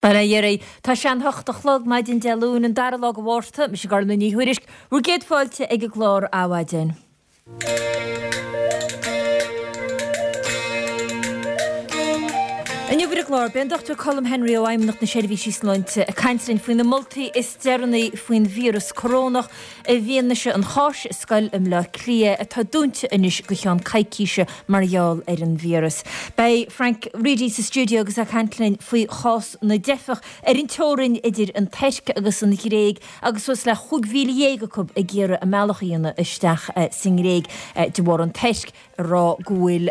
Bail ó Dhia oraibh. Tá sé an hocht a chlog, maidin Dé Luain, an dara lá de Mhárta. Mise Gormfhlaith Ní Thuairisg, bhur gcéad fáilte ag an gclár Adhmhaidin. Inniu ar an gclár, beidh an Dr Colm Henry ó Fheidhmeannacht na Seirbhísí Sláinte ag caint linn faoi na moltaí is deireanaí faoin víreas corónach i bhfianaise an cháis i scoil i mBleá Cliath atá dúnta anois go cheann coicíse mar gheall ar an víreas. Beidh Frank Reidy sa stiúideo agus é ag caint linn faoi chás na dteifeach ar an teorainn idir an Tuirc agus an Ghréig agus suas le 15,000 acu ag iarraidh a mbealach a dhéanamh isteach sa nGréig de bharr an Tuirc a rá go bhfuil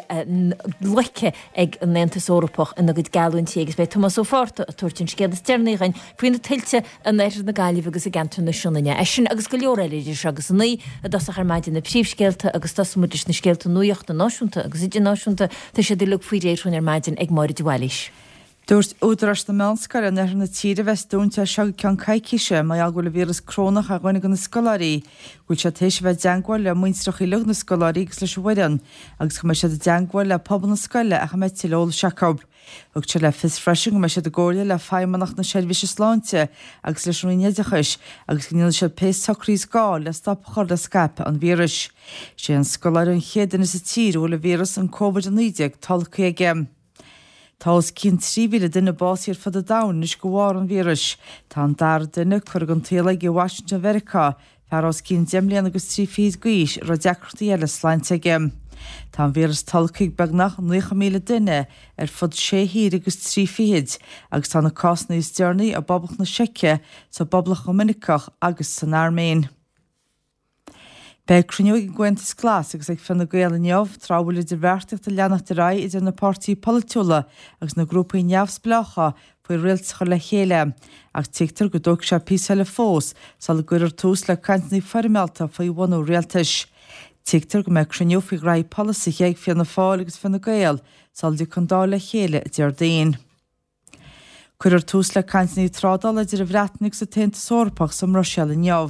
loicthe ag an Aontas Eorpach ina gcuid geallúintí agus beidh Tomás Ó Fátharta ag tabhairt an scéal is deireanaí dhuinn faoi na tuilte in oirthear na Gaillimhe agus i gceantar na Sionainne. É sin agus go leor eile idir seo agus a 9 i dtosach ar maidin na príomhscéalta agus tosóidh muid leis na scéalta nuachta náisiúnta agus idirnáisiúnta. Tá siad uilig faoi réir dhúinn ar maidin ag Máire de Bhailís. Dúirt údaráis na meánscoile in oirthear na tíre a bheas dúnta as seo go ceann coicíse mar gheall go bhfuil an víreas corónach ar dhuine de na scoláirí, go bhfuil siad tar éis a bheith i dteagmháil le muintreacha uilig na scoláirí agus leis an bhfoireann agus go mbeidh siad i dteagmháil le pobal na scoile ach a mbeidh tuilleadh eolais acu. Thug siad le fios freisin go mbeidh siad i gcomhairle le Feidhmeannacht na Seirbhíse Sláinte agus leis an Roinn Oideachais agus go ndéanfaidh siad pé socruithe is gá le stop a chur le scaipeadh an víris. Sé an scoláire an chéad duine sa tír a bhfuil an víreas, an Covid-19, tolgtha aige. Tá os cionn 3,000 duine básaithe ar fud an domhain anois de bharr an víris. Tá an dara duine curtha den tsaol aige i Washington Mheiriceá, fear os cionn deich mbliana agus trí fichid d'aois a raibh deacrachtaí eile sláinte aige. Tá an víreas tolgtha ag beagnach 90,000 duine ar fud sé thír agus trí fichid agus tá na cásanna is deireanaí i bPoblacht na Seice, sa bPoblacht Dhoiminiceach agus san Airméin. Beidh cruinniú ag an gComhaontas Glas agus ag Fine Gael inniu, tráth a bhfuil idirbheartaíocht ag leanacht ar aghaidh idir na páirtithe polaitiúla agus na grúpaí neamhspleácha faoi rialtas a chur le chéile, ach tuigtear go dtógfaidh sé píosa eile fós sula gcuirfear tús le cainteanna foirmeálta faoi bhunú rialtais. Tuigtear go mbeidh cruinniú faoi ghraithí polasaithe ag Fianna Fáil agus Fine Gael sula dtiocfaidh an Dáil le chéile Déardaoin. Cuirfear tús le cainteanna trádála idir an Bhreatain agus an tAontas Eorpach sa mBruiséil inniu.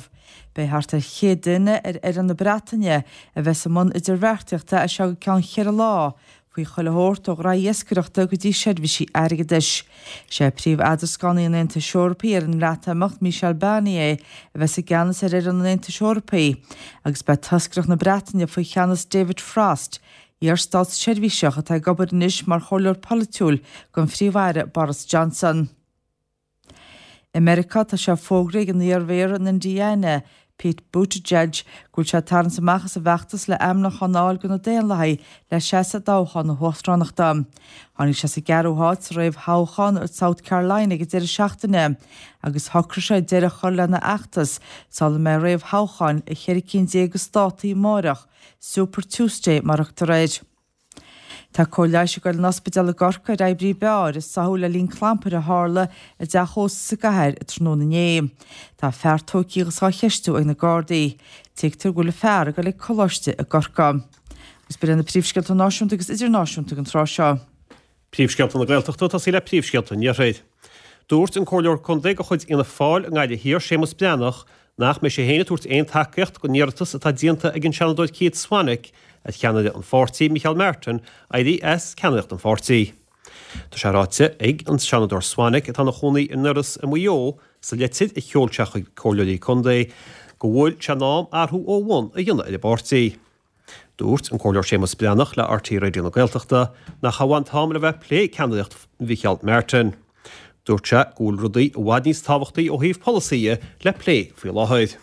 Beidh thart ar 100 duine ar fhoireann na Breataine a bheas i mbun idirbheartaíochta as seo go ceann cheithre lá, faoi chuile shórt ó ghraithí iascaireachta go dtí seirbhísí airgeadais. Sé príomh-eadrascánaí an Aontais Eorpaigh ar an mBreatimeacht, Michel Barnier, a bheas i gceannas ar fhoireann an Aontais Eorpaigh agus beidh toscaireacht na Breataine faoi cheannas David Frost, Iar-státseirbhíseach atá ag obair anois mar chomhairleoir polaitiúil don Phríomh-Aire Boris Johnson. I Meiriceá, tá sé fógraithe ag an iar-mhéara in Indiana, Pete Buttigieg, go bhfuil sé ag tarraingt amach as an bhfeachtas le ainmniúchán a fháil do na Daonlathaigh le seasamh i dtoghchán na huachtaránachta. Tháinig sé sa gceathrú háit sa réamhthoghchán i South Carolina ag an deireadh seachtaine agus shocraigh sé deireadh a chur lena fheachtas sula mbeidh réamhthoghcháin i cheithre cinn déag de státaí amáireach Super Tuesday mar a thugtar air. Tá cóir leighis ag goil in ospidéal i gCorcaigh ar oibrí beáir a sáthadh le linn clampair a tharla i dteach ósta sa gcathair tráthnóna inné. Tá fear tógtha agus á cheistiú ag na Gardaí. Tuigtear go bhfuil an fear ag goil ag coláiste i gCorcaigh. Agus b'in iad na príomhscéalta náisiúnta agus idirnáisiúnta ag an tráth seo. Príomhscéalta na Gaeltachta ag tosaí le príomhscéalta an Iarthair. Dúirt an Comhairleoir Contae de chuid Fhianna Fáil i nGaillimh Thiar, Séamus Breathnach, nach mbeidh sé féin ag tabhairt aon tacaíocht don iarratas atá déanta ag an Seanadóir Keith Swanick ar cheannaire an pháirtí, Micheál Martin, éirí as ceannaireacht an pháirtí. Tá sé ráite ag an Seanadóir Swanick, atá ina chónaí i nDurlas i Maigh Eo, sa litir a sheol sé chuig comhairleoirí contae, go bhfuil sé in am athrú ó bhun a dhéanamh ar an bpáirtí. Dúirt an Comhairleoir Séamus Breathnach le RTÉ Raidió na Gaeltachta nach é an t-am le bheith ag plé ceannaireacht Mhicheál Martin. Dúirt sé go bhfuil rudaí i bhfad níos tábhachtaí ó thaobh polasaithe le plé faoi láthair.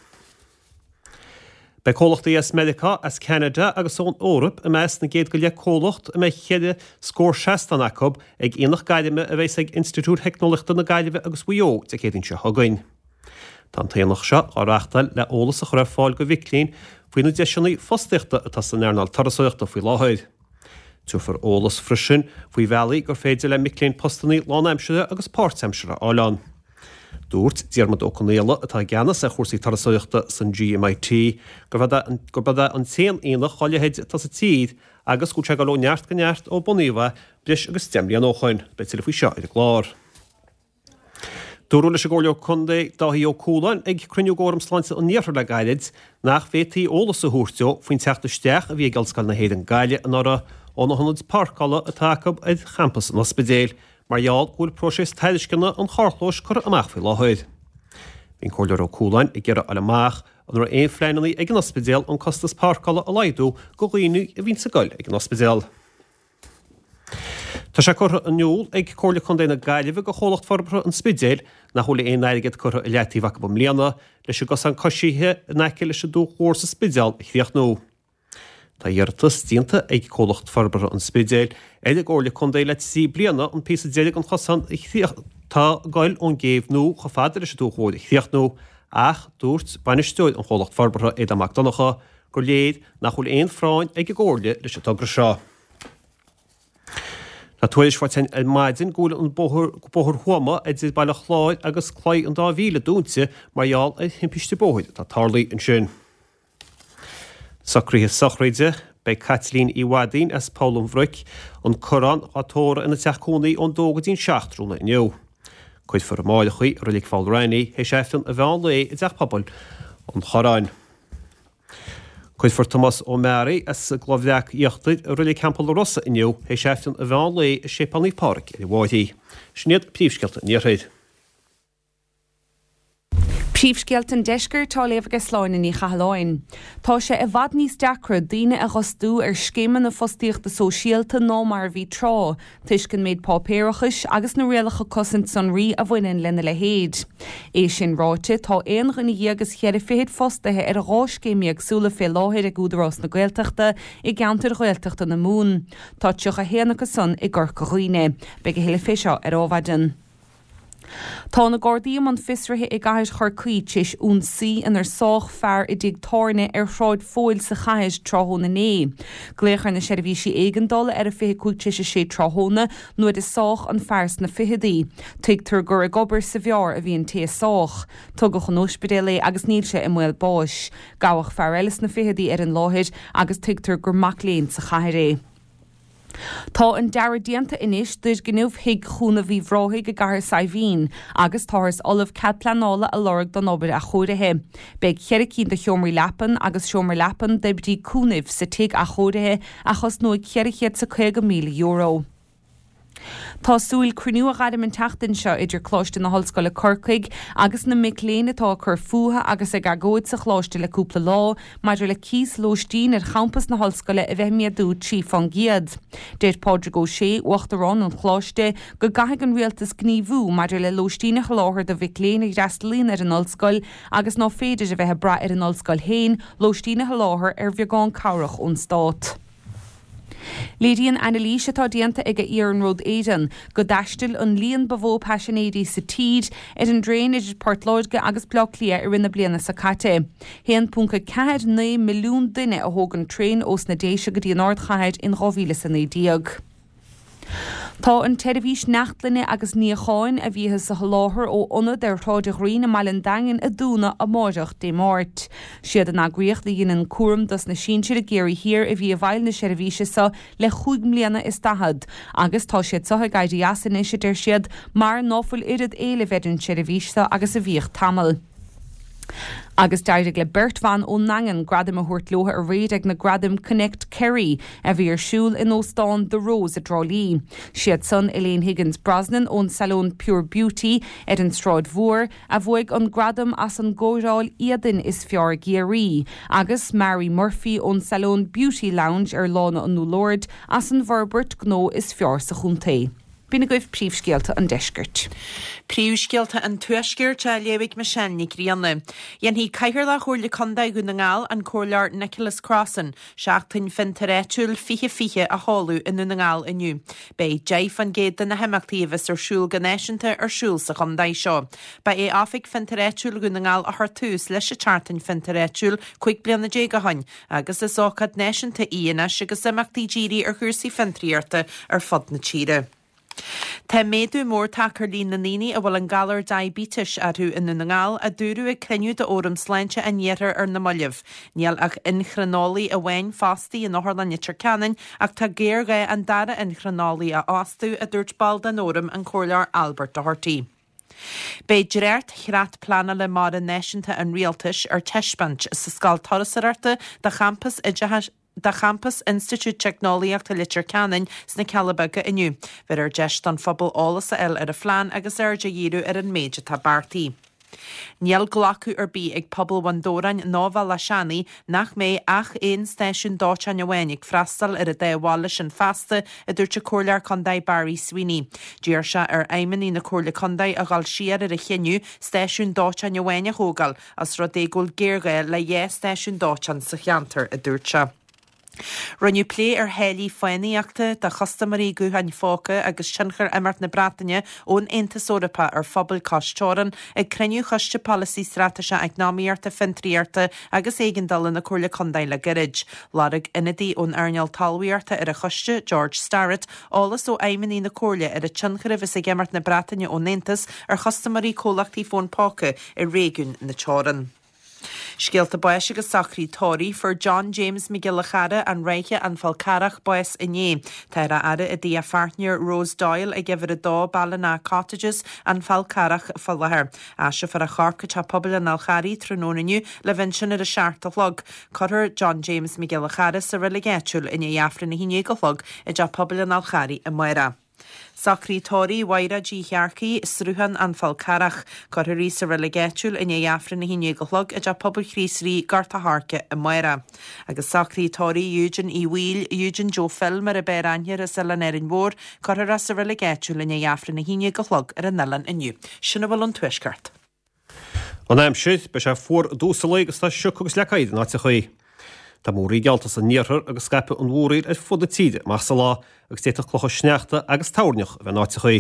Beidh comhlachtaí as Meiriceá, as Ceanada agus ón Eoraip i measc na gcéad go leith comhlacht a mbeidh cheithre scór seastán acu ag Aonach Gairme a bheas ag Institiúid Theicneolaíochta na Gaillimhe agus Mhaigh Eo Dé Céadaoin seo chugainn. Tá an t-aonach seo á reáchtáil le eolas a chur ar fáil do mhic léinn faoi na deiseanna fostaíochta atá san earnáil turasóireachta faoi láthair. Tabharfar eolas freisin faoi bhealaí gur féidir le mic léinn postanna lánaimseartha agus páirtaimseartha a fháil ann. Dúirt Diarmuid Ó Conaola, atá i gceannas ar chúrsaí turasóireachta san GMIT, gurb é an t-aon aonach dá leithéid atá sa tír agus go bhfuil sé ag dul ó neart go neart ó bunaíodh é breis agus 10 mbliana ó shoin. Beidh tuilleadh faoi seo ar an gclár. Dúradh leis an gComhairleoir Contae Dáithí Ó Cualáin ag cruinniú d'Fhóram Sláinte an Iarthair le gairid nach bhféadfaí eolas a thabhairt dó faoin teacht isteach a bhí ag Ollscoil na hÉireann Gaillimh anuraidh ó na hionaid páirceála atá acu ar champas an ospidéil. mar gheall go bhfuil próiseas tairisceana an charrchlóis curtha amach faoi láthair. Bhí an Comhairleoir Ó Cualáin ag iarraidh a fháil amach an raibh aon phleananna ag an ospidéal an costas páirceála a laghdú go dhaoine a bhíonns ag goil ag an ospidéal. Tá sé curtha in iúl ag Comhairle Contae na Gaillimhe go Chomhlacht Forbartha an Spidéil nach bhfuil aon airgead curtha i leataobh acu i mbliana leis an gcosán coisithe in aice leis an Dumhach Mhór sa Spidéal a chríochnú. Tá iarratas déanta ag Comhlacht Forbartha an Spidéil ar an gComhairle Contae le 3 bliana an píosa deiridh den chosán atá ag goil ón gCéibh Nua chomh fada leis an Dumhach Mhór a chríochnú ach dúirt bainisteoir an Chomhlacht Forbartha, Aodán Mac Donncha, gur léir nach bhfuil aon phráinn ag an gComhairle leis an togra seo. Tá tuairisc faighte ar maidin go bhfuil an bóthar, Bóthar Thuama idir Baile Chláir agus Claí an Dá Mhíle dúnta mar gheall ar thimpiste bóthair atá tarlaithe ansin. Socruithe sochraide, Beidh Caitlín Uí Mhaidín as Poll an Bhroic, An Corrán, á tórramh ina teach cónaí ón 2 go dtí'n 7 tráthnóna inniu. Cuirfear amáireach í i Reilig Pholl Raithní théis Aifreann an mheán lae i dTeach Pobail an Chorráin. Cuirfear Tomás Ó Meáraí as an gCloich Bhreac Íochtair i Reilig Theampall na Rosa inniu théis Aifreann an mheán lae i Séipéal Naomh Pádraig ar an bhFairche. Sin iad príomhscéalta an Iarthair. Príomhscéalta an Deiscirt á léamh aige Sláine Ní Chathalláin. Tá sé i bhfad níos deacra daoine a dh'fhostú ar scéimeanna fostaíochta sóisialta ná mar a bhí tráth, toisc an méid páipéarachais agus na rialacha cosaint sonraí a bhaineann lena leithéid. É sin ráite, tá aon dhuine dhéag is cheithre fichid fostaithe ar 12 scéim éagsúla fé láthair ag Údarás na Gaeltachta i gceantair Ghaeltachta na Mumhan. Tá 31 acu san i gCorca Dhuibhne. Beidh a thuilleadh fé seo ar Adhmhaidin. Tá na Gardaí i mbun fiosraithe i gcathair Chorcaí tar éis ionsaí inar sádh fear i dtigh tábhairne ar Shráid Phóil sa chathair tráthnóna inné. Glaodh ar na seirbhísí éigeandála ar a 25 tar éis a sé tráthnóna nuair a sádh an fear sna ficheadaí. Tuigtear gur ag obair sa bheár a bhí an té a sádh. Tugadh chun ospidéil é agus níl sé i mbaol báis. Gabhadh fear eile sna ficheadaí ar an láthair agus tuigtear gur mac léinn sa chathair é. Tá an dearadh déanta anois d'fhoirgneamh Thigh Chúnamh Uíbh Ráthaigh i gCathair Saidhbhín agus táthars ullamh cead pleanála a lorg don obair athchóirithe. Beidh cheithre cinn de sheomraí leapan agus seomra leapan d'oibrí cúnaimh sa tigh athchóirithe a chosnóidh €450,000. Tá súil cruinniú a ghairm an tseachtain seo idir Coláiste na hOllscoile Corcaigh agus na mic léinn atá ag cur fúthu agus ag agóid sa choláiste le cúpla lá maidir le cíos lóistín ar champas na hollscoile a bheith ag méadú 3 fán gcéad. Deir Pádraig Ó Sé, Uachtarán an Choláiste, go gcaithfidh an Rialtas gníomhú maidir le lóistín a sholáthar do mhic léinn a fhreastalaíonn ar an ollscoil agus ná féidir a bheith ag brath ar an ollscoil féin lóistín a sholáthar ar bheagán cabhrach ón Stát. Léiríonn anailís atá déanta ag Iarnród Éireann go dtaistil an líon ba mhó paisinéirí sa tír ar an dtraein idir Port Láirge agus Baile Átha Cliath i rith na bliana seo caite. 1.49 milliún duine a thóg an traein ós na Déise go dtí an ardchathair in 2019. Tá an tseirbhís neachtlainne agus níocháin a bhíothas a sholáthar ó ionad ar Shráid an Ghreen i mBaile an Daingin ag dúnadh amáireach, Dé Máirt. Siad an eagraíocht a dheineann cúram dos na sinsir i gCiarraí Thiar a bhí i bhfeighil na seirbhíse seo le chúig mbliana is daichead agus tá siad seo ag éirí as anois, a deir siad, mar ná fuil oiread éilimh ar an tseirbhís seo agus a bhíodh tamall. Agus d'éirigh le beirt bhan ón nDaingean gradaim a thabhairt leo aréir ag na gradaim Connect Kerry a bhí ar siúl in Óstán The Rose i dTrá Lí. Siad san Elaine Higgins Brosnan ón Salón Pure Beauty ar an Sráid Mhór a bhuaigh an gradam as an gcóireáil éadain is fearr i gCiarraí agus Mary Murphy ón Salón Beauty Lounge ar Lána an Úlloird as an bhforbairt gnó is fearr sa chontae. B'in agaibh príomhscéalta an deiscirt. Príomhscéalta an Tuaiscirt á léamh ag Michelle Nic Grianna. Dhéanfaidh Cathaoirleach Chomhairle Contae Dhún na nGall, an Comhairleoir Nicholas Crossan, Seachtain Fiontair Áitiúil 2020 a sheoladh i nDún na nGall inniu. Beidh 10% de na himeachtaí a bheas ar siúl go náisiúnta ar siúl sa chontae seo. Ba é Oifig Fiontair Áitiúil Dhún na nGall a chuir tús leis an tSeachtain Fiontair Áitiúil 15 bliana ó shoin Agus is ócáid náisiúnta í anois agus imeachtaí dírithe ar chúrsaí fiontraíochta ar fud na tíre. Tá méadú mór tagtha ar líon na ndaoine a bhfuil an galar diaibéitis orthu i nDún na nGall, a dúradh ag cruinniú d'Fhóram Sláinte an Iarthair ar na mallaibh. Níl ach inchrineolaí amháin fostaí in Otharlann Leitir Ceanainn ach tá géarghá an dara inchrineolaí a fhostú, a dúirt ball den Fhóram, an Comhairleoir Albert Doherty. Beidh dréacht-Chreat Pleanála Mara Náisiúnta an Rialtais ar taispeáint sa Scoil Turasóireachta do Champas Oideachais. De champas Institiúid Teicneolaíochta Leitir Ceanainn sna Cealla Beaga inniu. Bheirfear deis don phobal eolas a fháil ar an phlean agus aird a dhíriú ar an méid atá beartaithe. Níl glacadh ar bith ag pobal Bhun Dobhráin ná Bhealach Seanaidh nach mbeidh ach aon stáisiún dóiteáin amháin ag freastal ar an dá bhaile sin feasta, a dúirt an Comhairleoir Contae Barry Sweeney. D'iarr sé ar fheidhmeannaigh na Comhairle Contae a dhul siar ar a chinneadh stáisiún dóiteáin amháin a thógáil Os rud é go bhfuil géarghá le 2 stáisiún dóiteáin sa cheantar, a dúirt sé. Rinneadh plé ar tháillí fánaíochta do chustaiméirí gutháin phóca agus tionchar imeacht na Breataine ón Aontas Eorpach ar phobail cois teorann ag cruinniú Choiste Polasaí Straitéiseach Eacnamaíochta, Fiontraíochta agus Éigeandála na Comhairle Contae le gairid. Lorg ionadaí ón earnáil talmhaíochta ar an choiste, George Starrett, eolas ó fheidhmeannaigh na Comhairle ar an tionchar a bheas ag imeacht na Breataine ón Aontas ar chustaiméirí comhlachtaí fón póca i réigiún na teorann. Scéalta báis agus socraí tórraimh. Fuair John James Mac Giolla Chara, An Ráithe, An Fál Carrach, bás inné. Táthar á fhaire i dtigh a pháirtnéir Rose Doyle ag uimhir 2 Ballina Cottages, An Fál Carrach, fá láthair. Aistreofar a chorp go Teach Pobail an Fháil Charraigh tráthnóna inniu le bheith ansin ar a 7 a chlog. Cuirfear John James Mac Giolla Chara sa reilig áitiúil i ndiaidh Aifreann 11 a chlog i dTeach Pobail an Fháil Charraigh amárach. Socruithe tórraimh Mhaighréid Uí Shearcaigh, Sruthán, An Fál Carrach. Cuirfear í sa reilig áitiúil i ndiaidh Aifreann 11 a chlog i dTeach Pobail Chríost Rí, Gort a' Choirce, amárach. Agus socruithe tórraimh Eugene Uí Bhaoill, Eugene Joe Phil mar ab fhearr aithne air as Oileán Árainn Mhór, cuirfear é sa reilig áitiúil i ndiaidh Aifreann 11 a chlog ar an oileán inniu. Sin a bhfuil ón Tuaisceart. An aimsir, beidh sé fuar i dtús an lae agus tá sioc agus leac oighir in áiteachaí. Tá múraíl geallta san iarthar agus scaipfidh an mhúraíl ar fud na tíre amach sa lá agus d'fhéadfadh clocha sneachta agus toirneach a bheith in áiteachaí.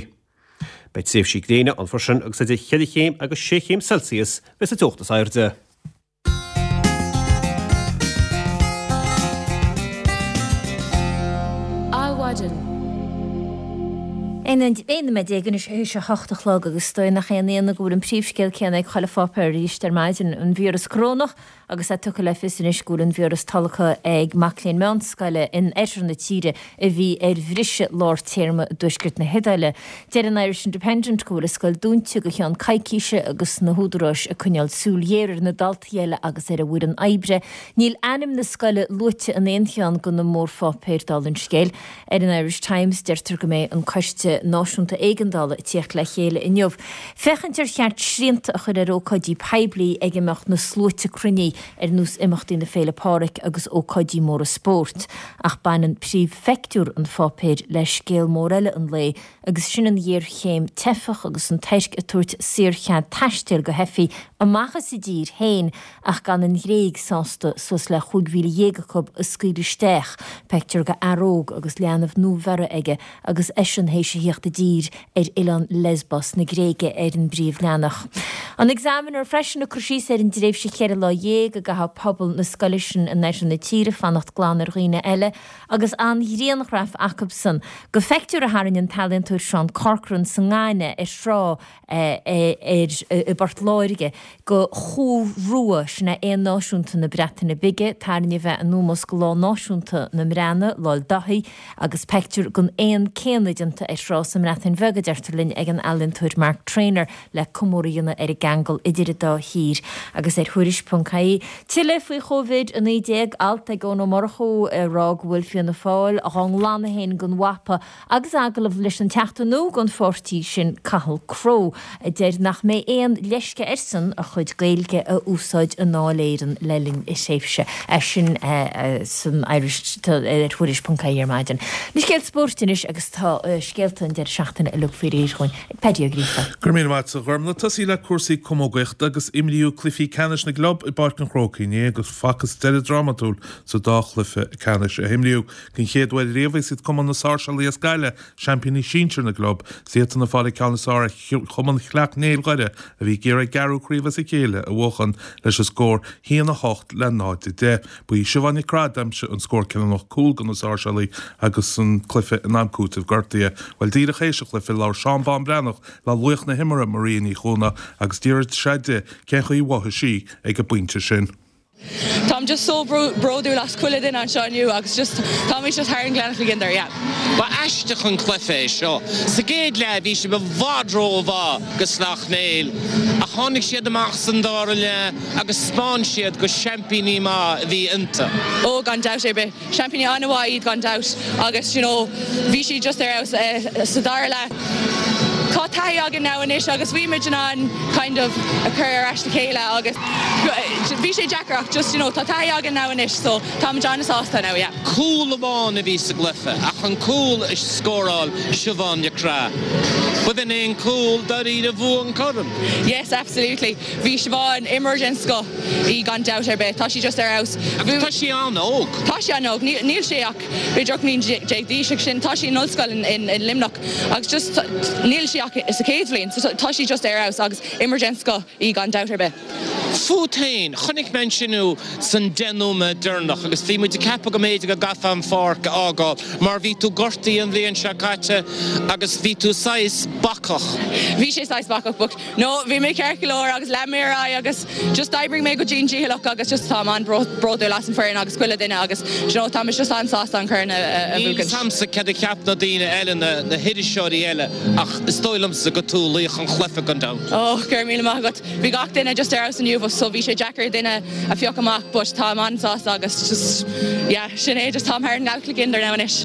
Beidh tréimhsí gréine ann freisin agus idir cheithre chéim agus sé chéim Celsius a bheas an teocht is airde. Adhmhaidin. 11 nóiméad anois théis a hocht a chlog agus is dóigh nach aon ionadh go bhfuil an príomhscéal céanna ag chuile pháipéar arís ar maidin, an víreas corónach agus é tugtha le fios anois go bhfuil an víreas tolgtha ag mac léinn meánscoile in oirthear na tíre a bhí ar bhriseadh lár téarma i dtuaisceart na hIodáile. Deir an Irish Independent go bhfuil an scoil dúnta go cheann coicíse agus na húdaráis ag coinneáil súil ghéar ar na daltaí eile agus ar an bhfoireann oibre. Níl ainm na scoile luaite in aon cheann de na mórpháipéir, dála an scéil. Ar an Irish Times deirtear go mbeidh an Coiste Náisiúnta Éigeandála ag tíocht le chéile inniu féachaint ar cheart srianta a chur ar ócáidí poiblí ag a mbeadh na sluaite cruinnithe ar nós imeachtaí na Féile Pádraig agus ócáidí móra spóirt. Ach baineann príomhphictiúr an pháipéir le scéal mór eile an lae agus sin an ghéarchéim teifeach agus an Tuirc ag tabhairt saorchead taistil go theifigh amach as a dtír féin ach gan an Ghréig sásta suas le 15,000 acu a scaoileadh isteach. Pictiúr de fhear óg agus leanbh nuabheirthe aige agus eisean théis a thíocht i dtír ar oileán Lesbos na Gréige ar an bpríomhleathanach. An Examiner freisin ag cur síos ar an dtréimhse cheithre lá dhéag a gcaithfidh pobal na scoile sin in oirthear na tíre fanacht glan ar dhaoine eile agus an-ghrianghraf acubsan de phictiúr a tharraing an t-ealaíontóir Seán Corcoran sa nGainimh ar thrá ar i bPort Láirge de chú rua, sin é éan náisiúnta na Breataine Bige, tarraingthe a bheith in ómós go Lá Náisiúnta na mBreatnach, Lol Daithí, agus peictiúr den éan céanna déanta ar thrá sa mBreatain Bheag, a deirtear linn, ag an ealaíontóir Mark Traynor le comóradh a dhéanamh ar an gceangal idir an dá thír. Agus ar Thuairisc.ie, tuilleadh faoi Chóivid-19, alt ag Eoin Ó Murchú ag rá go bhfuil Fianna Fáil dhá nglanadh féin den mhapa Agus agallamh leis an Teachta nua don pháirtí sin, Cathal Crowe, a deir nach mbeidh aon leisce airsean a chuid Gaeilge a úsáid i nDáil Éireann le linn a thréimhse. Sin san Irish ar Thuairisc.ie ar maidin. Na scéalta spóirt anois agus tá scéalta an deireadh seachtaine uilig faoi réir dhúinn ag Paddy Ó Gríofa. Go raibh míle maith agat a Ghormfhlaith. Tosaí le cúrsaí camógaíochta agus imríodh cluichí ceannais na gclub i bPáirc an Chrócaigh inné agus facthas deireadh drámatúil sa dá chluiche ceannais a himríodh. Den chéad uair riamh is iad Cumann na Sáirséalaí as Gaillimh seaimpíní sinsir na gclub. Is iadsan ag fáil an ceann is fearr ar Chumann Shleacht Néill Dhoire a bhí ag iarraidh a gceathrú craobh as a chéile a bhuachan leis an scór 1-8 le 0-10. Ba í Siobhán Nic Craith a d'aimsigh an scór cinniúnach cúl do na Sáirséalaigh agus an cluiche in am cúitimh gortaithe. Bhuel díreach théis an chluiche labhair Seán Bán Breathnach le laoch na himeartha Maria Ní Chuana agus d'fhiafraigh sé di cén chaoi a mhothaigh sí ag an bpointe sin. Táim just so bródúil as chuile duine anseo inniu agus just táimid just thar an Gleann Gliondar, yeah. Ba aisteach an cluiche é seo. Sa gcéad leath bhí sibh i bhfad rómhaith do Sleacht Néill ach tháinig siad amach san dara leath agus 'spáin siad gur seaimpíní maith a bhí iontu. Ó gan dabht ar bith. Seaimpíní an-mhaith iad gan dabht agus you know bhí siad just ar fheabhas sa dara leath. Tá taithí againn now anois agus bhí muid in ann kind of a chur ar ais le chéile agus bhí sé deacair ach just you know tá taithí againn now anois so táimid an-sásta now yeah. Cúl amháin a bhí sa gcluiche ach an cúl a scóráil Siobhán Nic Craith. B'in é an cúl dáiríre a bhuaigh an corn. Yes absolutely. Bhí Siobhán, imreoir den scoth í gan dabht ar bith. Tá sí just ar fheabhas. Agus tá sí an-óg. Tá sí an-óg. Níl sí ach b'fhéidir 18 mbliain d'aois agus sin. Tá sí in ollscoil in Luimneach agus just níl sí ach sa chéad bhliain. So tá sí just ar fheabhas agus imreoir den scoth í gan dabht ar bith. Fút féin, chonaic mé ansin thú san 10 nóiméad deireanach agus bhí muid ag ceapadh go mb'fhéidir go gcaithfeá an pháirc a fhágáil mar bhí tú gortaithe an bhliain seo caite agus bhí tú saghas bacach. Bhí sé saghas bacach but No, bhí mé ceart go leor agus lean mé ar aghaidh agus just d'oibrigh mé go dian dícheallach agus just táim an-bhródúil as an foireann agus chuile duine agus do you know táimid just an-sásta an corn a Níl bhuachaint. 'fhios a'msa céard a cheap na daoine eile, na hiriseoirí eile ach is dóigh liomsa gur tú laoch an chluiche gan dabht. Oh, go raibh míle maith agat. Bhí gach duine just ar fheabhas inniu so bhí sé deacair duine a phiocadh amach but táim an-sásta agus just yeah, sin é just táim thar an nGaelchluiche now anois.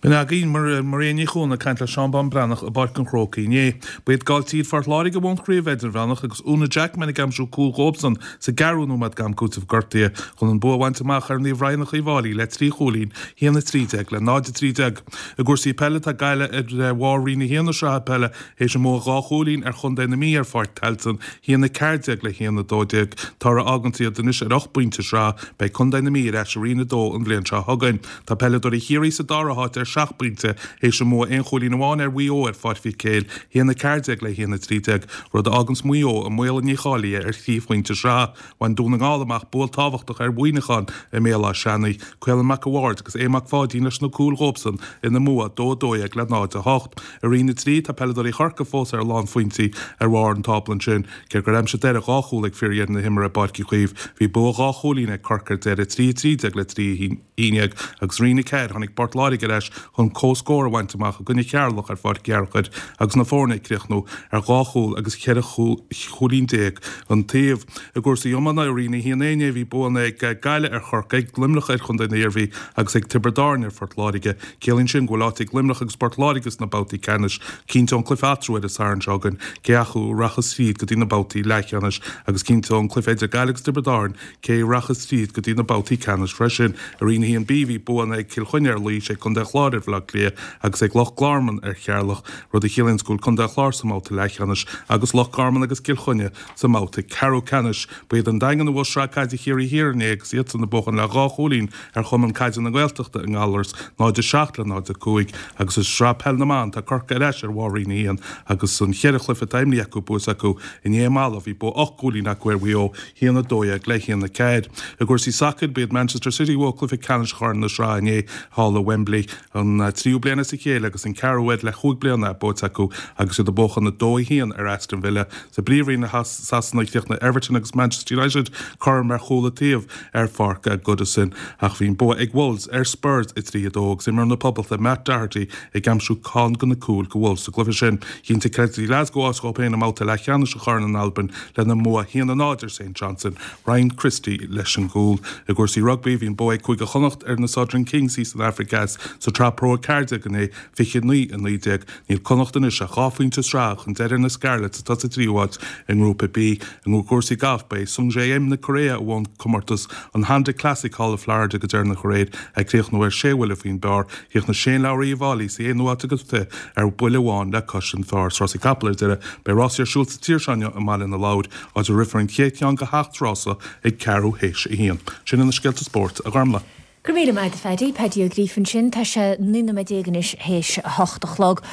B'in againn Maria Ní Chuana ag caint le Seán Bán Breathnach i bPáirc an Chrócaigh inné. Ba iad Gailltír Phort Láirge a bhuaigh an chraobh idirmheánach agus Úna Jackman ag aimsiú cúl dhóibhsan sa gceathrú nóiméad d'am cúitimh gortaithe chun an bua a bhaint amach ar Naomh Raghnach Uíbh Fháilí le 3 chúilín, 1-13 le 0-13. I gcúrsaí peile tá Gaillimh ar bharr Roinn 1 na sraithe peile théis a mbua dhá chúilín ar chontae na Mí ar Pháirc Tailteann, 1-14 le 1-12, toradh a fháganns iad anois ar ocht bpointe sraithe. Beidh contae na Mí ar ais i Roinn 2 an bhliain seo chugainn. Tá peileadóirí Chiarraí sa dara háit ar sheacht bpointe théis a mbua aon chúilín amháin ar Mhaigh Eo ar Pháirc Mhic Éil, 1-14 le 1-13, rud a fháganns Maigh Eo i mbaol a ndícháilithe ar thrí phointe sraithe. Bhain Dún na nGall amach bua tábhachtach ar Mhuineachán i mBéal Átha Seanaidh, Caolán Mac a' Bhaird agus Aodh Mac Pháidín leis na cúil dhóibhsan ina mbua 2-12 le 0-8. I Roinn 3, tá peileadóirí Chorcaí fós ar a lán phointí ar bharr an tábla ansin. Cé gur aimsigh Doire dhá chúl ag fíordheireadh na himeartha i bPáirc Uí Chaoimh, bhí bua dhá chúilín ag Corcaigh ar deireadh, 3-13 le 3-11, agus i Roinn 4, tháinig Port Láirge ar ais chun comhscór a bhaint amach i gcoinne Cheatharlach ar Pháirc Uí Fhearchair agus na foirne ag críochnú ar dhá chúl agus cheithre chúilín déag an taobh. I gcúrsaí iomána, i Roinn 1A inné, bhí buanna ag Gaillimh ar Chorcaigh, Luimneach ar Chontae na hIarmhí agus ag Tiobraid Árann ar Phort Láirge. Ciallaíonn sin go bhfuil áit ag Luimneach agus Port Láirge sna babhtaí ceannais. Cinnteoidh an cluiche eatarthu ar an Satharn seo chugainn cé acu a rachas tríd go dtí na babhtaí leathcheannais agus cinnteoidh an cluiche idir Gaillimh agus Tiobraid Árann cé a rachas tríd go dtí na babhtaí ceannais freisin. I Roinn 1B bhí buanna ag Cill Chainnigh ar Laois, ag Contae an Chláir ar Bhaile Átha Cliath agus ag Loch Garman ar Cheatharlach, rud a chiallaíonns go bhfuil Contae an Chláir sa mbabhta leathcheannais agus Loch Garman agus Cill Chainnigh sa mbabhta ceathrú ceannais. Ba iad an Daingean a bhuaigh Sraith Caide Chiarraí Thiar inné agus iadsan ag buachan le dhá chúilín ar Chumann Caide na Gaeltachta i nGallaras, 0-7 le 0-5, agus i Sraith Peil na mBan tá Corcaigh ar ais ar bharr Roinn 1 agus an cheithre chluiche atá imrithe acu buaite acu. Inné i Mala bhí bua ocht gcúilín acu ar Mhaigh Eo, 1-12 le 1-4. I gcúrsaí sacair, ba iad Manchester City a bhuaigh cluiche ceannais Chorn na Sraithe inné thall i Wembley. An tríú bliain as a chéile agus an ceathrú uair le chúig bliana é buaite acu agus iad ag buachan 2-1 ar Aston Villa. Sa bPríomhroinn i Sasana, chríochnaigh Everton agus Manchester United cothrom ar chúl an taobh ar pháirc Goodison ach bhí an bua ag Wolves ar Spurs 3-2 agus imreoir na Poblachta Matt Doherty ag aimsiú ceann de na cúil do Wolves sa gcluiche sin. Chinntigh Celtic Glasgow áit dhóibh féin i mbabhta leathcheannais an Choirn in Albain lena mbua 1-0 ar St Johnstone. Ryan Christie leis an gcúl. I gcúrsaí rugbaí, bhí an bua ag Cúige Chonnacht ar na Southern Kings thíos san Afraic Theas sa tSraith Pro 14 inné, 29-19. Níl Connacht anois ach dhá phointe sraithe chun deiridh ar na Scarlets atá sa tríú háit i nGrúpa B. I gcúrsaí gailf, ba é Sungjae Im na Cóiréa a bhuaigh an comórtas an Honda Classic thall i Florida go deireanach aréir, ag críochnú ar sé bhuille faoin bpar. Chríochnaigh Shane Lowry Uíbh Fhailí sa aonú háit agus fiche ar bhuille amháin le cois an phair. Is rásaí capall ar deireadh, beidh rásaí ar siúl sa tír seo inniu i mBaile na Lobhar, áit a rithfear an chéad cheann de sheacht rása ag ceathrú théis a haon. Sin iad na scéalta spóirt, a Ghormlaith. Go raibh míle maith agat a Phaddy, Paddy Ó Gríofa ansin. Tá sé 19 nóiméad anois théis a hocht a chlog.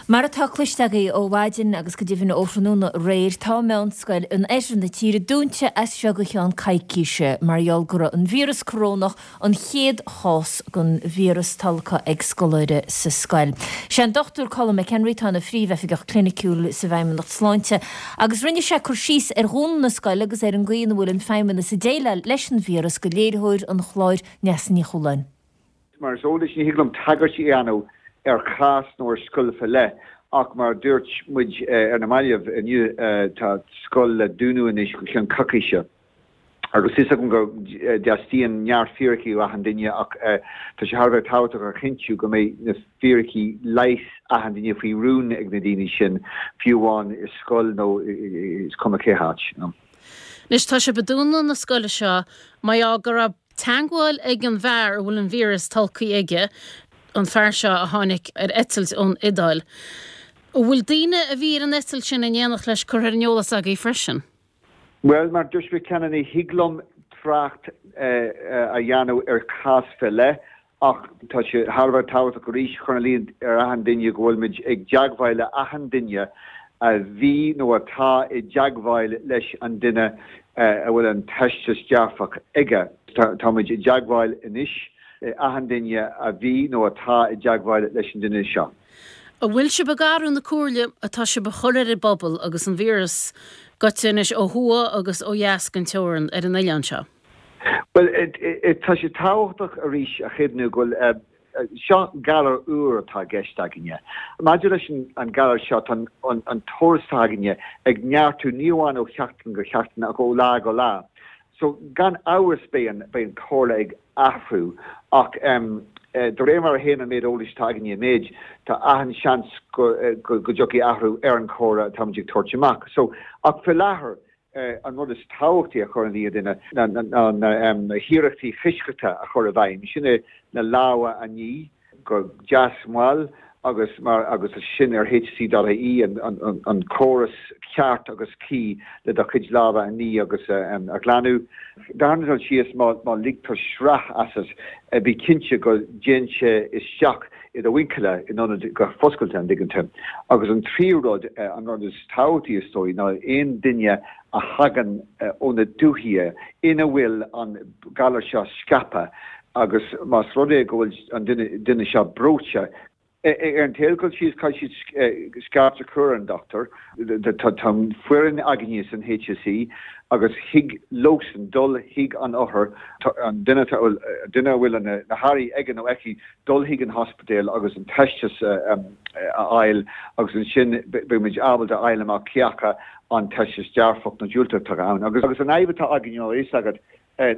Mar atá cloiste agaibh ó mhaidin agus go deimhin ó thráthnóna aréir, tá meánscoil in oirthear na tíre dúnta as seo go cheann coicíse mar gheall go raibh an víreas corónach, an chéad chás den víreas tolgtha ag scoláire sa scoil. Sé an Dr Colm McHenry atá ina Phríomh-Oifigeach Cliniciúil sa bhFeidhmeannacht Sláinte agus rinne sé cur síos ar dhúnadh na scoile agus ar an gcaoi ina bhfuil an Feidhmeannas ag déileáil leis an víreas do léiritheoir an chláir Neasa Ní Chualáin. Mar is eol duit, ní thig liom tagairt a dhéanamh ar chás nó ar scoil fé leith ach mar a dúirt muid ar na mallaibh inniu, tá scoil le dúnadh anois go ceann coicíse. Agus tá 'fhios agam go dteastaíonn neart fíricí ó achan duine ach tá sé thar a bheith tábhachtach a chinntiú go mbeidh na fíricí leighis achan duine faoi rún ag na daoine sin, fiú amháin i scoil nó is cuma cé háit. Anois tá sibh ag dúnadh na scoile seo mar gheall go raibh teagmháil ag an bhfear a bhfuil an víreas tolgtha aige, an fear seo a tháinig ar eitilt ón Iodáil. An bhfuil daoine a bhí ar an eitilt sin in éineacht leis curtha ar an eolas agaibh freisin? Bhuel, mar a dúirt mé cheana, ní thig liom trácht a dhéanamh ar chás fé leith ach tá sé thar a bheith tábhachtach arís a chur ina luí ar achan duine go bhfuil muid ag dteagmháil le achan duine a bhí nó atá i dteagmháil leis an duine a bhfuil an teisteas dearfach aige. Táimid i dteagmháil anois le achan duine a bhí nó atá i dteagmháil leis an duine seo. An bhfuil sibh ag athrú na comhairle atá sibh a chur ar an bpobal agus an víreas goite anois ó thuaidh agus ó dheas den teorann ar an oileán seo? Bhuel, tá sé tábhachtach arís a chuimhniú go bhfuil Seo galar úr atá i gceist againne. Maidir leis an galar seo, tá an t-eolas atá againne ag neartú ní amháin ó sheachtain go seachtain ach ó lá go lá. So, gan amhras beidh an beidh an chomhairle ag athrú ach de réir mar a théann an méid eolais atá againne i méid, tá achan seans go go dtiocfaidh athrú ar an chomhairle atáimid ag tabhairt amach. So, ach faoi láthair, an rud is tábhachtaí a chur ina luí ar dhuine ná na hiarrachtaí coisctheachta a chur i bhfeidhm, sin é na lámha a ní go deas mall agus mar agus sin ar hse.ie an córas ceart agus cuí le do chuid lámha a ní agus a ghlanadh. Darna dul síos má ligtear sraith asat bí cinnte go dtéann sé isteach i do mhuinchille in ionad go foscailte, an dtuigeann tú. Agus an tríú rud, an rud is tábhachtaí is dóigh, ná aon duine a thagann ó na dúichí ina bhfuil an galar seo scaipthe agus más rud é go bhfuil an duine seo breoite, ar an chéad dul síos caithfidh siad scairt a chur ar an dochtúir. Tá foireann againne san HSE agus thig leosan dul chuig an othar, an duine a bhfuil na hairí aige nó aici, dul chuig an ospidéal agus an teisteas a fháil agus ansin beidh muid ábalta a fháil amach cé acu an teisteas dearfach nó diúltach atá ann. Agus an fhadhb atá againn, tá a fhios agat,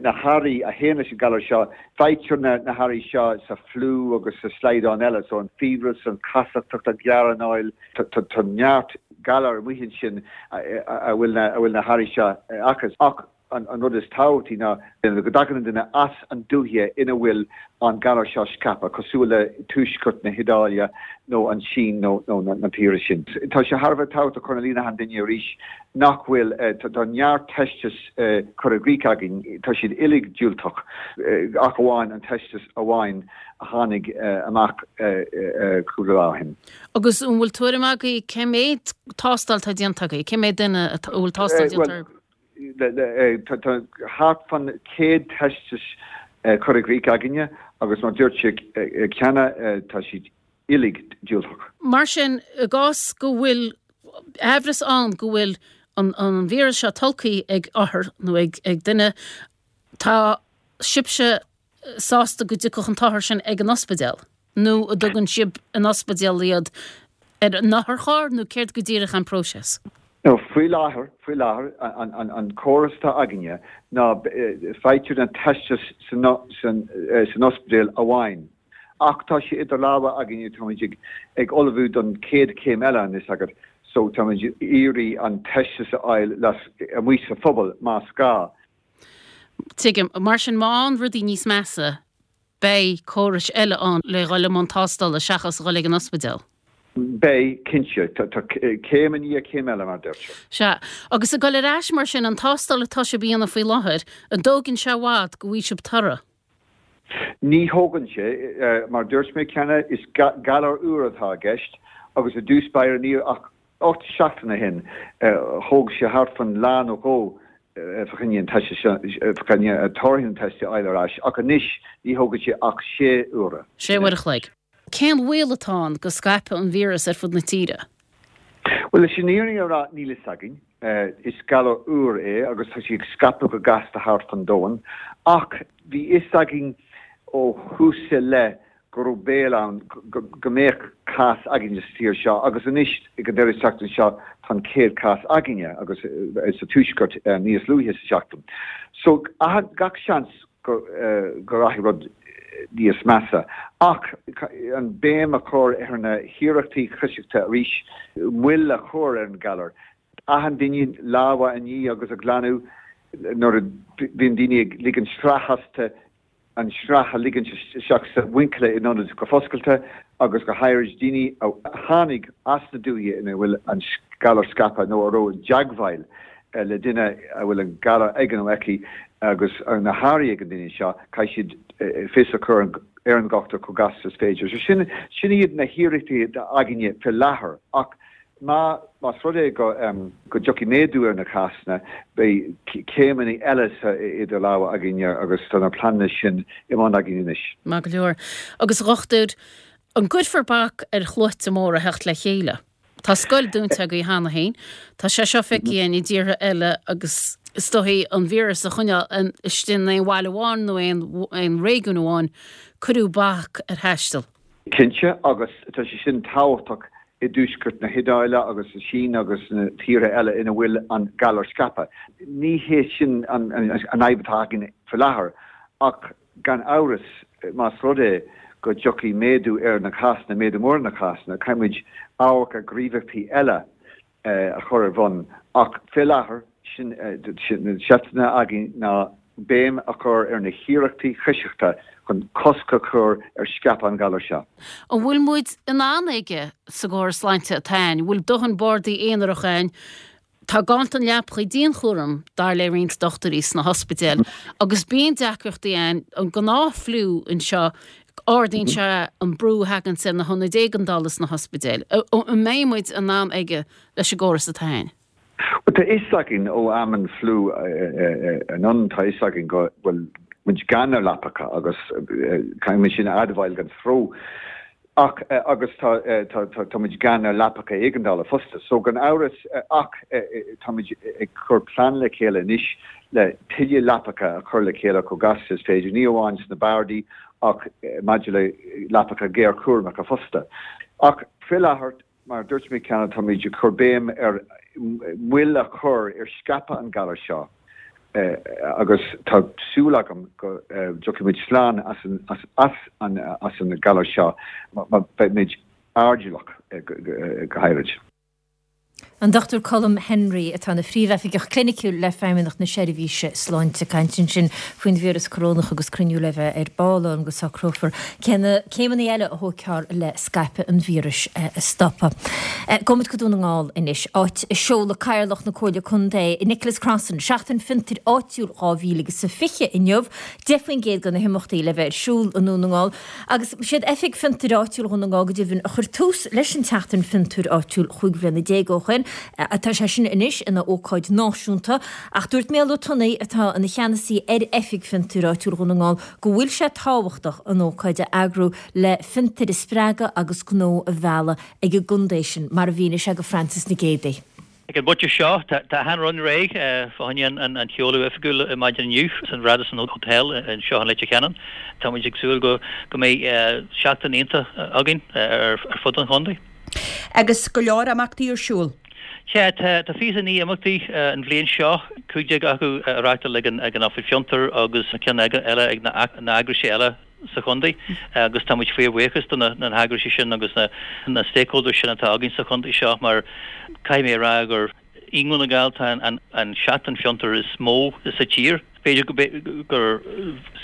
na hairí a théann leis an galar seo, faightear na hairí seo sa fliú agus sa slaghdán eile, so an fiabhras, an chasachtach, an ghearranáil, tá neart galar amuigh ansin a bhfuil na hairí seo acu. Ach an rud is tábhachtaí ná go dtagann an duine as an dúiche ina bhfuil an galar seo scaipthe, cosúil le tuaisceart na hIodáile nó an tSín nó na tíortha sin. Tá sé thar a bheith tábhachtach cur ina luí ar achan duine arís nach bhfuil, tá neart teisteas curtha i gcrích againn, tá siad uilig diúltach ach amháin an teisteas amháin a tháinig amach cúpla lá ó shin. Agus an bhfuil tuairim agaibh cé mhéad tástáil atá déanta agaibh, cé mhéad duine a bhfuil tástáil déanta orthu? Tá thart fan 100 teisteas curtha i gcrích againne agus mar dúirt sé cheana tá siad uilig diúltach. Mar sin, i gcás go bhfuil aimhreas ann go bhfuil an víreas seo tolgtha ag othar nó ag duine, tá sibhse sásta go dtiocfadh an t-othar sin ag an ospidéal nó an dtugann sibh an ospidéal iad ar an otharcharr nó céard go díreach an próiseas? No, faoi láthair, faoi láthair, an córas atá againne ná faightear na teistis san san ospidéal amháin. Ach tá sé idir lámha againne, táimid ag ag ullmhú don chéad chéim eile, an fhios agat, so táimid ag iarraidh an teisteas a fháil amuigh sa phobal más gá. Tuigim. Mar sin, má théann rudaí níos measa, beidh córais eile ann le dhul i mbun tástála seachas dhul ag an ospidéal. Beidh, cinnte. Tá céim i ndiaidh céim eile, mar a deirtear. Sea. Agus ag dul ar ais, mar sin, an tástáil atá sibh a dhéanamh faoi láthair, an dtógann sé i bhfad go bhfaighidh sibh toradh? Ní thógann sé. Mar a dúirt mé cheana, is galar úr atá i gceist. Agus i dtús báire ní ach 8 seachtain ó shin thóg sé thart fán lá nó dhó fá choinne an teiste seo, fá choinne torthaí an teiste a fháil ar ais ach anois ní thógann sé ach 6 uaire. 6 uair a chloig. Cén baol atá ann go scaipfidh an víreas ar fud na tíre? Bhuel, leis an fhírinne a rá, níl fhios againn. Is galar úr é agus tá sé ag scaipeadh go gasta thart fán domhan. Ach bhí fhios againn ó thús i leith go raibh baol ann go mbeadh cás againne sa tír seo agus anois ag an deireadh seachtaine seo tá an chéad chás againne agus sa tuaisceart níos luaithe sa seachtain. So gach seans go rachaidh rud níos measa. Ach an béim a chur ar na hiarrachtaí coisctheachta arís, moill a chur ar an galar. Achan duine lámha a ní agus a ghlanadh nuair a bhíonn daoine ag ligean sraith astu, an sraith a ligint isteach sa mhuinchille in ionad go foscailte agus go háirid daoine a tháinig as na dúiche ina bhfuil an galar scaipthe nó a raibh i dteagmháil le duine a bhfuil an galar aige nó aici agus na hairí ag an duine seo, caithfidh siad fios a chur ar an dhochtúir chomh gasta is féidir. So sin, sin iad na hiarrachtaí atá againne fé láthair ach má, más rud é go, go dtiocfaidh méadú ar na cásanna, beidh céimeanna eile sa, idir lámha againne agus tá na pleananna sin i mbun againn anois. Maith go leor. Agus a dhochtúir, an gcuirfear bac ar shluaite móra theacht le chéile? Tá scoil dúnta agaibh cheana féin. Tá sé seo feicthe againn i dtíortha eile agus is dóichí an víreas a choinneáil istigh in aon bhaile amháin nó aon réigiún amháin, cuireadh bac ar thaisteal. Cinnte, agus tá sé sin tábhachtach i dtuaisceart na hIodáile agus sa Sín agus sna tíortha eile ina bhfuil an galar scaipthe. Ní hé sin an fhadhb atá againn faoi láthair ach Gan amhras, más rud é go dtiocfaidh méadú ar na cásanna, méadú mór ar na cásanna, caithfidh muid amharc ar ghníomhaíochtaí eile a chur ar bhun. Ach fé láthair, sin na seifteanna againn ná béim a chur ar na hiarrachtaí coisctheachta chun cosc a chur ar scaipeadh an ghalair seo. An bhfuil muid in ann aige sa gcóras sláinte atá ann? An bhfuil dóthain bardaí aonaracha ann Tá ganntan leapacha dianchúraim, dar le roinnt dochtúirí sna hospidéil, agus bíonn deacrachtaí ann, an gnáth-fhliú anseo, ardaíonn sé an brú a thaganns ar na hionaid éigeandála sna hospidéil. An mbeidh muid in ann aige leis an gcóras atá ann? Bhuel, tá fhios againn ó am an fliú anonn, tá fhios againn go bhfuil muid gann ar leapacha agus caithfidh muid sin a admháil gan stró. Ach, agus tá, tá, tá muid gann ar leapacha éigeandála fosta. So, gan amhras, ach tá muid ag cur plean le chéile anois le tuilleadh leapacha a chur le chéile chomh gasta is féidir, ní amháin sna bardaí ach maidir le leapacha géarchúramacha fosta. Ach fé láthair, Mar a dúirt mé cheana, táimid ag cur béim ar mhoill a chur ar scaipeadh an ghalair seo agus tá súil agam go dtiocfaidh muid slán as an galar seo má beimid airdeallach go háirid. An Dr Colm Henry, atá ina Phríomhoifigeach Cliniciúil le Feidhmeannacht na Seirbhíse Sláinte, ag caint ansin faoin víreas corónach agus cruinniú le bheith ar ball ann go socrófar cé na céimeanna eile a thógfar le scaipeadh an víris a stopadh. Gabhfaimid go Dún na nGall anois, áit a seoladh Cathaoirleach na Comhairle Contae, Nicholas Crossan, Seachtain Fiontair Áitiúil 2020 inniu, 10% de na himeachtaí le bheith ar siúl i nDún na nGall. Agus siad Oifig Fiontair Áitiúil Dhún na nGall go deimhin a chuir tús leis an tSeachtain Fiontair Áitiúil 15 bhliana ó shoin. Tá sé sin anois ina ócáid náisiúnta ach dúirt Mícheál Ó Tonnaigh, atá ina cheannasaí ar Oifig Fiontair Áitiúil Dhún na nGall, go bhfuil sé tábhachtach an ócáid a eagrú le fiontair a spreagadh agus gnó a mhealladh ag an gcontae sin, mar a mhínigh sé go Frances Nic Géadaigh. Ag an bpointe seo, tá achan rud réidh fá choinne an sheoladh oifigiúil maidin inniu san Radisson Hotel anseo in Leitir Ceanainn. Tá muid ag súil go mbeidh seachtain iontach againn ar fud an chontae. Agus go leor imeachtaí ar siúl. Sea, tá 29 imeachtaí an bhliain seo, 15 acu á reáchtáil ag an Oifig Fiontar agus ceann eile ag na heagraisí eile. sa chontae agus tá muid fíorbhuíochas do na heagraisí sin agus na stakeholders sin atá againn sa chontae seo mar caithfidh mé a rá gur i nDún na nGall tá an seachtain fiontar is mó sa tír. B'fhéidir gur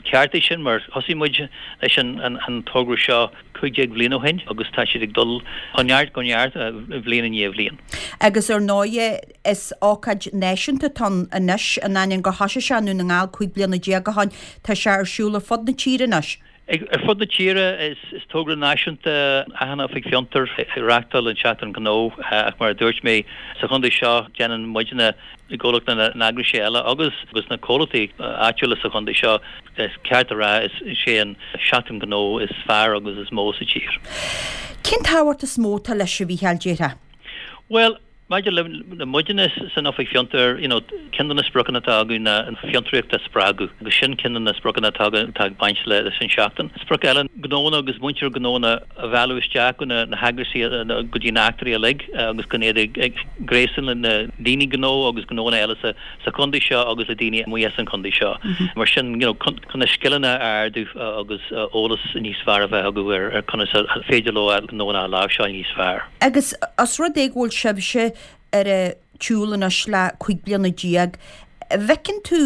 ceart é sin mar thosaigh muid leis an togra seo 15 bhliain ó shin agus tá siad ag dul ó neart go neart bhliain i ndiaidh bhliain. Agus ar ndóighe is ócáid náisiúnta atá ann anois, in ainneoin gur thosaigh sé i nDún na nGall 15 bliana ó shin, Tá sé ar siúl ar fud na tíre anois. Ar fud na tíre, is togra náisiúnta achan oifig fiontar ag reáchtáil an Seachtain Ghnó ach mar a dúirt mé, sa chontae seo déanann muidne i gcomhlacht na n-eagraisí eile agus agus na comhlachtaí áitiúla sa chontae seo, is ceart a rá, is é an Seachtain Ghnó is fearr agus is mó sa tír. Cén tábhacht is mó atá leis, a Mhícheáil, déarfá? Bhuel, Maidir le muidne san Oifig Fiontair, you know, ceann de na spriocanna atá againn ná an fiontraíocht a spreagadh agus sin ceann de na spriocanna atá againn atá ag baint leis an seachtain. Sprioc eile, gnónna agus muintir gnónna a mhealladh isteach go na heagraisí, go dtí na heachtraí uilig agus go iad ag gréasán le na daoine gnó agus gnónna eile sa sa chontae seo agus le daoine amuigh as an chontae seo. Mar sin, you know, chun na scileanna a ardú agus eolas níos fearr a bheith acu ar conas a féidir leo a ngnónna a láimhseáil níos fearr. Agus os rud é go bhfuil sibhse ar an tsiúl anois le 15 bliana, an bhfeiceann tú,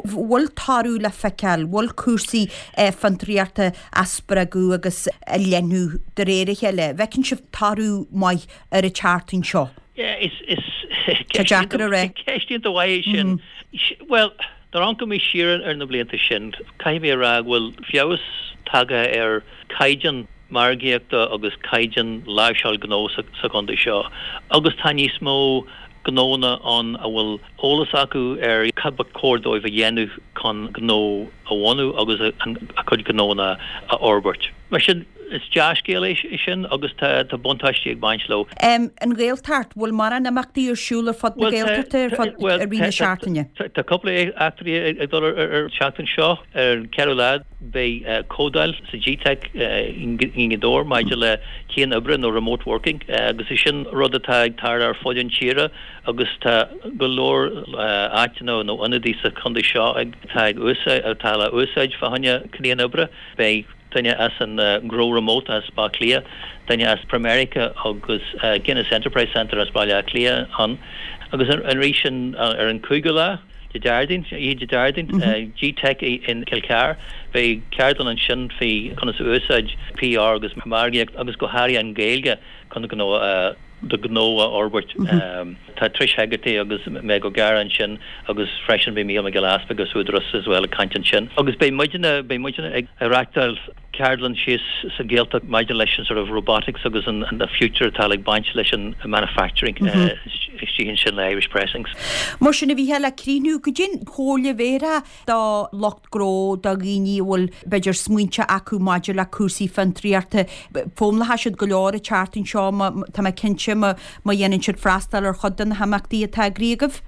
bhfuil toradh le feiceáil, bhfuil cúrsaí fiontraíochta á spreagadh agus á leathnú de réir a chéile, an bhfeiceann sibh toradh maith ar an tseachtain seo? Yeah, is, is, Tá deacair a rá. Ceist iontach mhaith é sin. Bhuel, nuair a amharcann mé siar ar na blianta sin, caithfidh mé a rá go bhfuil feabhas tagtha ar caighdeán margaíochta agus caighdeán láimhseáil gnó sa chontae seo agus tá níos mó gnónna ann a bhfuil eolas acu ar cad ba chóir dóibh a dhéanamh chun gnó a bhunú agus a gcuid gnónna a fhorbairt. Mar sin, is dea-scéal é sin agus tá buntáistí ag baint leo. An Ghaeltacht, bhfuil mórán imeachtaí ar siúl ar fud na Gaeltachta ar fud i rith na seachtaine? Tá cúpla eachtraí ag dul ar an tseachtain seo. Ar an cheathrú lá, Beidh comhdháil sa Gteic i nGaoth Dobhair maidir le cian-oibre nó remote working agus is sin rud atá ag tarlú ar fud an tíre agus tá go leor áiteanna nó ionadaí sa chontae seo atá ag úsáid, atá le úsáid fá choinne cian-oibre. Beidh duine as an Grow Remote as Baile Átha Cliath, duine as Pramerica agus Guinness Enterprise Centre as Baile Átha Cliath ann agus arís ar an cúigiú lá. Dé Déardaoin, oíche Dé Déardaoin, Gteic in Cill Chartha. Beidh ceardlann ansin faoi conas a úsáid PR agus margaíocht agus go háirithe an Ghaeilge chun gnó a do ghnó a fhorbairt. Tá Trish Hegarty agus Meg O'Gara ansin agus freisin beidh Mícheál Mac Giolla Easpaig as Údarás as well ag caint ansin. Agus beidh muidne, beidh muidne ag reachtáil ceardlann síos sa Ghaeltacht maidir leis an sort of robotics agus an the future atá ag baint leis an manufacturing istigh ansin le Irish Pressings. Mar sin, a Mhícheáil, le críochnú, goidé an chomhairle a bhéarfá do lucht gnó, do dhaoine a bhfuil b'fhéidir smaointe acu maidir le cúrsaí fiontraíochta? Foghlaimeoidh siad go leor an tseachtain seo, tá mé cinnte, má dhéanann siad freastal ar chuid de na himeachtaí atá eagraithe agaibh.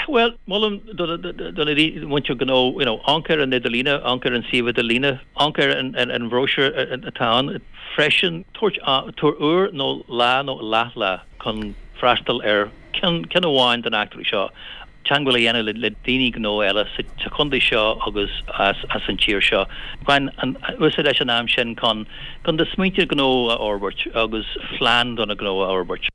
Bhuel, molaim do na muintir gnó, you know, amharc ar an idirlíne, amharc ar an suíomh idirlíne, Amharc ar an bhróisiúr atá ann freisin. Tabhair uair nó lá nó leathlá chun freastal ar cheann amháin de na heachtraí seo. Teagmháil a dhéanamh le daoine gnó eile sa chontae seo agus as an tír seo. Bain úsáid as an am sin chun do smaointe gnó a fhorbairt agus plean do na gnó a fhorbairt.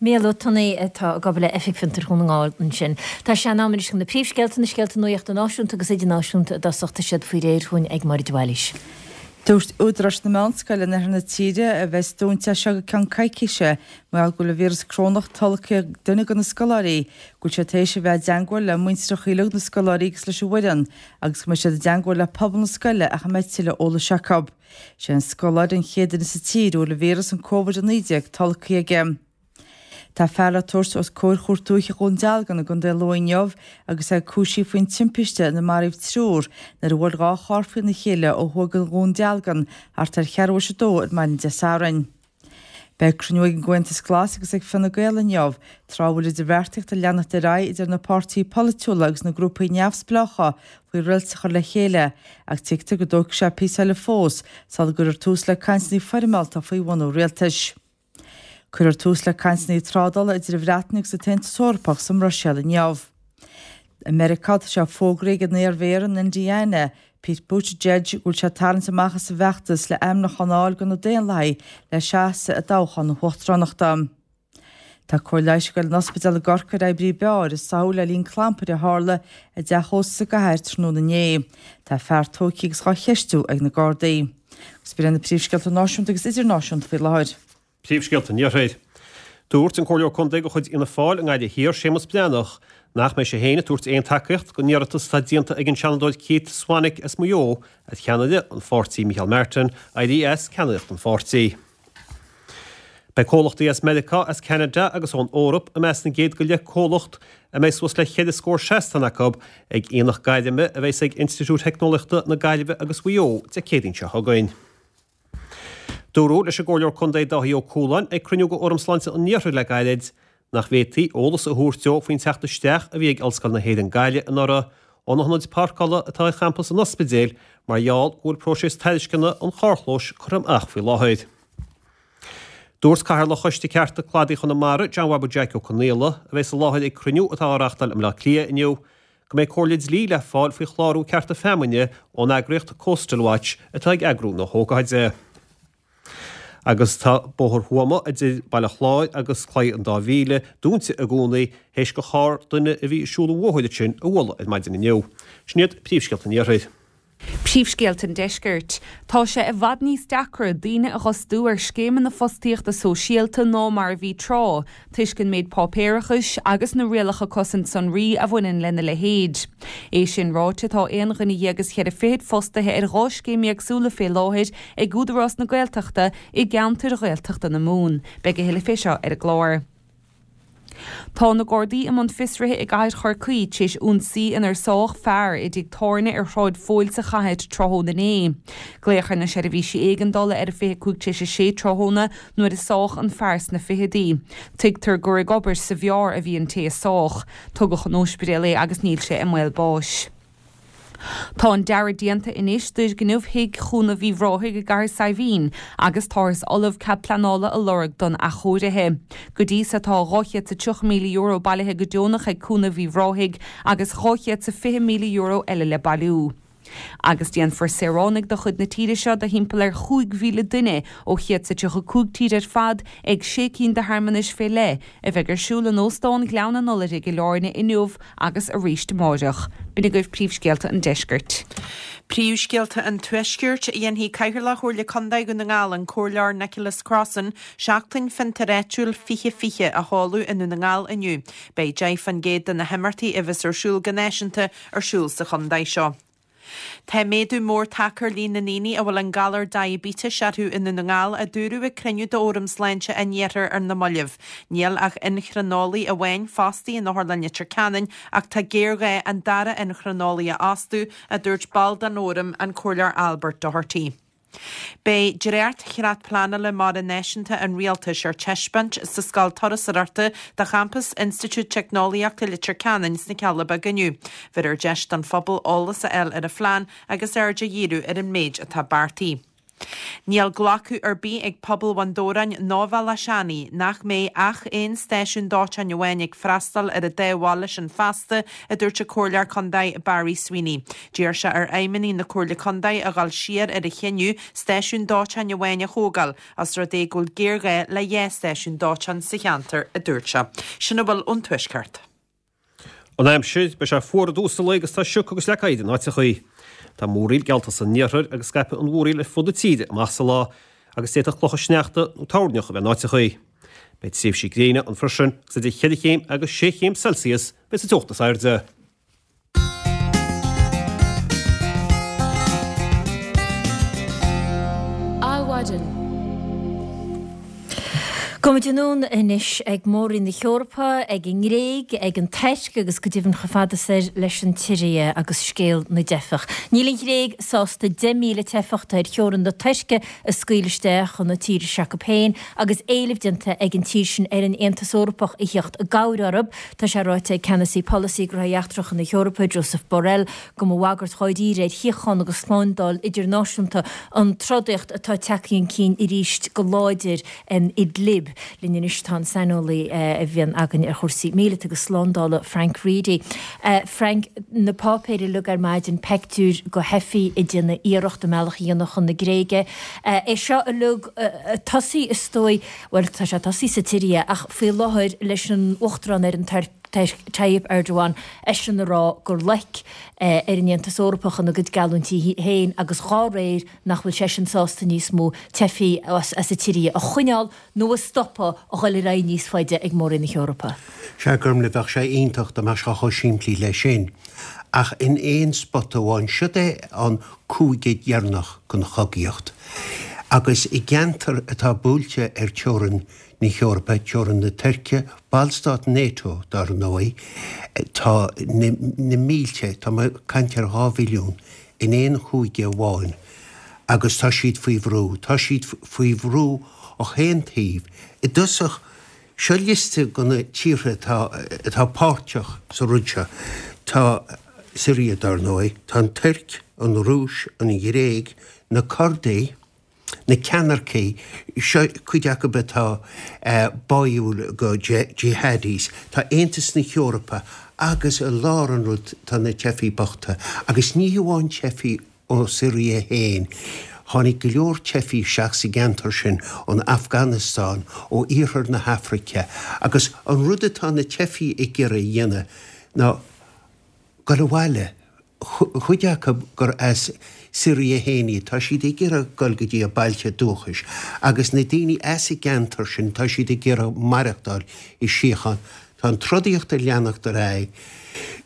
Mícheál Ó Tonnaigh atá ag obair le Oifig Fiontair Dhún na nGall ansin. Tá sé in am anois chun na príomhscéalta, na scéalta nuachta náisiúnta agus idirnáisiúnta i dtosach, tá siad faoi réir chugainn ag Máire de Bhailís. Dúirt údaráis na meánscoile in oirthear na tíre, a bheas dúnta as seo go ceann coicíse mar gheall go bhfuil an víreas corónach tolgtha ag duine de na scoláirí, go bhfuil siad tar éis a bheith i dteangmháil le muintreacha uilig na scoláirí agus leis an bhfoireann agus go mbeidh siad i dteangmháil le pobal na scoile ach a mbeidh tuilleadh eolais acu. Sé an scoláire an chéad duine sa tír a bhfuil an víreas an Covid-19 tolgtha aige. Tá fear le tabhairt os comhair Chúirt Dúiche Dhún Dealgan i gContae Lú inniu agus é cúisithe faoin timpiste ina maraíodh triúr nuair a bhuail 2 charr faoina chéile ó thuaidh de Dhún Dealgan thart ar cheathrú théis a dó ar maidin Dé Sathairn. Beidh cruinniú ag an gComhaontas Glas agus ag Fine Gael inniu, tráth a bhfuil idirbheartaíocht ag leanacht ar aghaidh idir na páirtithe polaitiúla agus na grúpaí neamhspleácha faoi rialtas a chur le chéile, ach tuigtear go dtógfaidh sé píosa eile fós sula gcuirfear tús le cainteanna foirmeálta faoi bhunú rialtais. Cuirfear tús le cainteanna trádála idir an Bhreatain agus an tAontas Eorpach sa mBruiséil inniu. I Meiriceá, tá sé fógraithe ag an iar-mhéara in Indiana, Pete Buttigieg, go bhfuil sé ag tarraingt amach as an bhfeachtas le ainmniúchán a fháil do na Daonlathaigh le seasamh i dtoghchán na huachtaránachta. Tá cóir leighis ag dul in ospidéal i gCorcaigh ar oibrí beáir a sáthadh le linn clampair a tharla i dteach ósta sa gcathair tráthnóna inné. Tá fear tógtha agus dhá cheistiú ag na Gardaí. Agus b'in iad na príomhscéalta náisiúnta agus idirnáisiúnta faoi láthair. Príomhscéalta an Iarthair. Dúirt an Comhairleoir Contae de chuid Fhianna Fáil i nGaillimh Thiar, Séamus Breathnach, nach mbeidh sé féin ag tabhairt aon tacaíocht don iarratas atá déanta ag an Seanadóir Keith Swanick as Maigh Eo ar cheannaire an pháirtí Micheál Martin éirí as ceannaireacht an pháirtí. Beidh comhlachtaí as Meiriceá, as Ceanada agus ón Eoraip i measc na gcéad go leith comhlacht a mbeidh suas le cheithre scór seastán acu ag Aonach Gairme a bheas ag Institiúid Theicneolaíochta na Gaillimhe agus Mhaigh Eo Dé Céadaoin seo chugainn. Dúradh leis an gComhairleoir Contae Dáithí Ó Cualáin ag cruinniú de Fhóram Sláinte an Iarthair le gairid nach bhféadfaí eolas a thabhairt dó faoin teacht isteach a bhí ag Ollscoil na hÉireann Gaillimh anuraidh ó na hionaid páirceála atá ar champas an ospidéil mar gheall go bhfuil próiseas tairisceana an charrchlóis curtha amach faoi láthair. Dúirt Cathaoirleach Choiste Cearta Cladaigh Chonamara, John Bhabaí Jeaic Ó Conaola, a bheas i láthair ag cruinniú atá á reáchtáil i mBleá Cliath inniu, go mbeidh comhairle dlí le fáil faoi chlárú cearta feamainne ón eagraíocht Coastal Watch atá ag eagrú na hócáide. Agus tá Bóthar Thuama idir Baile Chláir agus Claí an Dá Mhíle dúnta i gcónaí théis do charr duine a bhí ag siúl an bhóthair ansin a bhualadh ar maidin inniu. Sin iad príomhscéalta an Iarthair. Príomhscéalta an Deiscirt. Tá sé i bhfad níos deacra daoine a dh'fhostú ar scéimeanna fostaíochta sóisialta ná mar a bhí tráth, toisc an méid páipéarachais agus na rialacha cosaint sonraí a bhaineann lena leithéid. É sin ráite, tá aon dhuine dhéag is cheithre fichid fostaithe ar dhá scéim éagsúla fé láthair ag Údarás na Gaeltachta i gceantair Ghaeltachta na Mumhan. Beidh a thuilleadh fé seo ar an gclár. Tá na Gardaí i mbun fiosraithe i gcathair Chorcaí tar éis ionsaí inar sádh fear i dtigh tábhairne ar Shráid Phóil sa chathair tráthnóna inné. Glaodh ar na seirbhísí éigeandála ar a 25 tar éis a sé tráthnóna nuair a sádh an fear sna fichidí. Tuigtear gur ag obair sa bheár a bhí an té a sádh. Tugadh chun ospidéil é agus níl sé i mbaol báis. Tá an dearadh déanta anois d'fhoirgneamh Thigh Chúnamh Uíbh Ráthaigh i gCathair Saidhbhín agus táthas ullamh cead pleanála a lorg don athchóirithe. Go dtí so tá €230,000 bailithe go deonach ag Cúnamh Uíbh Ráthaigh agus €220,000 eile le bailiú. Agus déanfar saoránaigh de chuid na tíre seo de thimpeall ar 5,000 duine ó 135 tír ar fad ag sé cinn de shearmanais fé leith a bheidh ar siúl in Óstán Ghleann an Iolair i gCill Airne inniu agus arís amáireach. B'in agaibh príomhscéalta an deiscirt. Príomhscéalta an Tuaiscirt. Dhéanfaidh Cathaoirleach Chomhairle Contae Dhún na nGall, an Comhairleoir Nicholas Crossan, Seachtain Fiontair Áitiúil 2020 a sheoladh i nDún na nGall inniu. Beidh 10% de na himeachtaí a bheas ar siúl go náisiúnta ar siúl sa chontae seo. Tá méadú mór tagtha ar líon na ndaoine a bhfuil an galar diaibítis orthu i nDún na nGall, a dúradh ag cruinniú d'Fhóram Sláinte an Iarthair ar na mallaibh. Níl ach inchrineolaí amháin fostaithe in Otharlann Leitir Ceanainn ach tá géarghá an dara inchrineolaí a fhostú, a dúirt ball den Fhóram, an Comhairleoir Albert Doherty. Beidh dréacht-Chreat Pleanála Mara Náisiúnta an Rialtais ar taispeáint sa Scoil Turasóireachta de champas Institiúid Teicneolaíochta Leitir Ceanainn sna Cealla Beaga inniu. Bheirfear deis don phobal eolas a fháil ar an phlean agus aird a dhíriú ar an méid atá beartaithe. Níl glacadh ar bith ag pobal Bhun Dobhráin ná Bhealach Seanaidh nach mbeidh ach aon stáisiún dóiteáin amháin ag freastal ar an dá bhaile sin feasta, a dúirt an Comhairleoir Contae Barry Sweeney. D'iarr sé ar fheidhmeannaigh na Comhairle Contae a dhul siar ar a chinneadh stáisiún dóiteáin amháin a thógáil, os rud é go bhfuil géarghá le dhá stáisiún dóiteáin sa cheantar, a dúirt sé. Sin a bhfuil ón Tuaisceart. An aimsir, beidh sé fuar i dtús an lae agus tá sioc agus leac oighir in áiteachaí. Tá múraíl geallta san iarthar agus scaipfidh an mhúraíl ar fud na tíre amach sa lá agus d'fhéadfadh clocha sneachta nó toirneach a bheith in áiteachaí. Beidh tréimhsí gréine ann freisin agus idir cheithre chéim agus sé chéim Celsius a bheidh sa teocht is airde. Adhmhaidin. Gabhfaimid anonn anois ag Mór-Roinn na hEorpa, ag an nGréig, ag an Tuirc agus go deimhin chomh fada soir leis an tSiria agus scéal na dteifeach. Níl an Ghréig sásta 10,000 teifeach atá ar theorainn na Tuirce a scaoileadh isteach chun na tíre s'acu féin agus éileamh déanta ag an tír sin ar an Aontas Eorpach a theacht i gcabhair orthu. Tá sé ráite ag Ceannasaí Polasaí Gnóthaí Eachtracha na hEorpa, Josep Borrell, go mba bhagairt dháiríre ar shíocháin agus shlándáil idirnáisiúnta an trodaíocht atá tagtha chun cinn arís go láidir in Idlib. Linn anois tá an saineolaí a bhíonn againn ar chúrsaí míleata agus slándála, Frank Reidy. Frank, na páipéir uilig ar maidin, peictiúir de theifigh ag déanamh iarracht a mbealach a dhéanamh chun na Gréige. É seo uilig ag tosaí is dóigh, bhuel tá sé tosaithe sa tSiria ach faoi láthair leis an Uachtarán ar an Tuirc. Tayyip Erdogan, eisean a rá gur loic ar an Aontas Eorpach ina gcuid geallúintí féin agus dhá réir nach bhfuil seisean sásta níos mó teifigh as an tSiria a choinneáil nó a stopadh a dhul ar aghaidh níos faide ag Mór-Roinn na hEorpa. Sea, Gormlaith, bheadh sé iontach dá mbeadh sé chomh simplí leis sin. Ach in aon spota amháin, siod é an cúige dheireanach den chogaíocht. Agus i gceantar atá buailte ar teorainn na hEorpa, teorainn na Tuirce, ballstát NATO, dar ndóigh, tá na mílte, tá mé ag caint ar 2 mhilliún, in aon chúige amháin agus tá siad faoi bhrú. Tá siad faoi bhrú ó chaon taobh. I dtosach, seo liosta de na tíortha atá atá páirteach sa rud seo. Tá Siria, dar ndóigh, tá an Tuirc, an Rúis, an Ghréig, na Curdaigh, na ceannaircigh, seo cuid acu atá báúil go jihadis, tá Aontas na hEorpa agus i lár an rud tá na teifigh bochta. Agus ní hamháin teifigh ó Siria féin, tháinig go leor teifigh isteach sa gceantar sin ón Afganastáin, ó iarthar na hAfraice agus an rud atá na teifigh ag iarraidh a dhéanamh ná dul abhaile. Cuid acu gur as Siria féin iad, tá siad ag iarraidh dul go dtí a bailte dúchais agus na daoine as an gceantar sin, tá siad ag iarraidh maireachtáil i síocháin. Tá an trodaíocht ag leanacht ar aghaidh.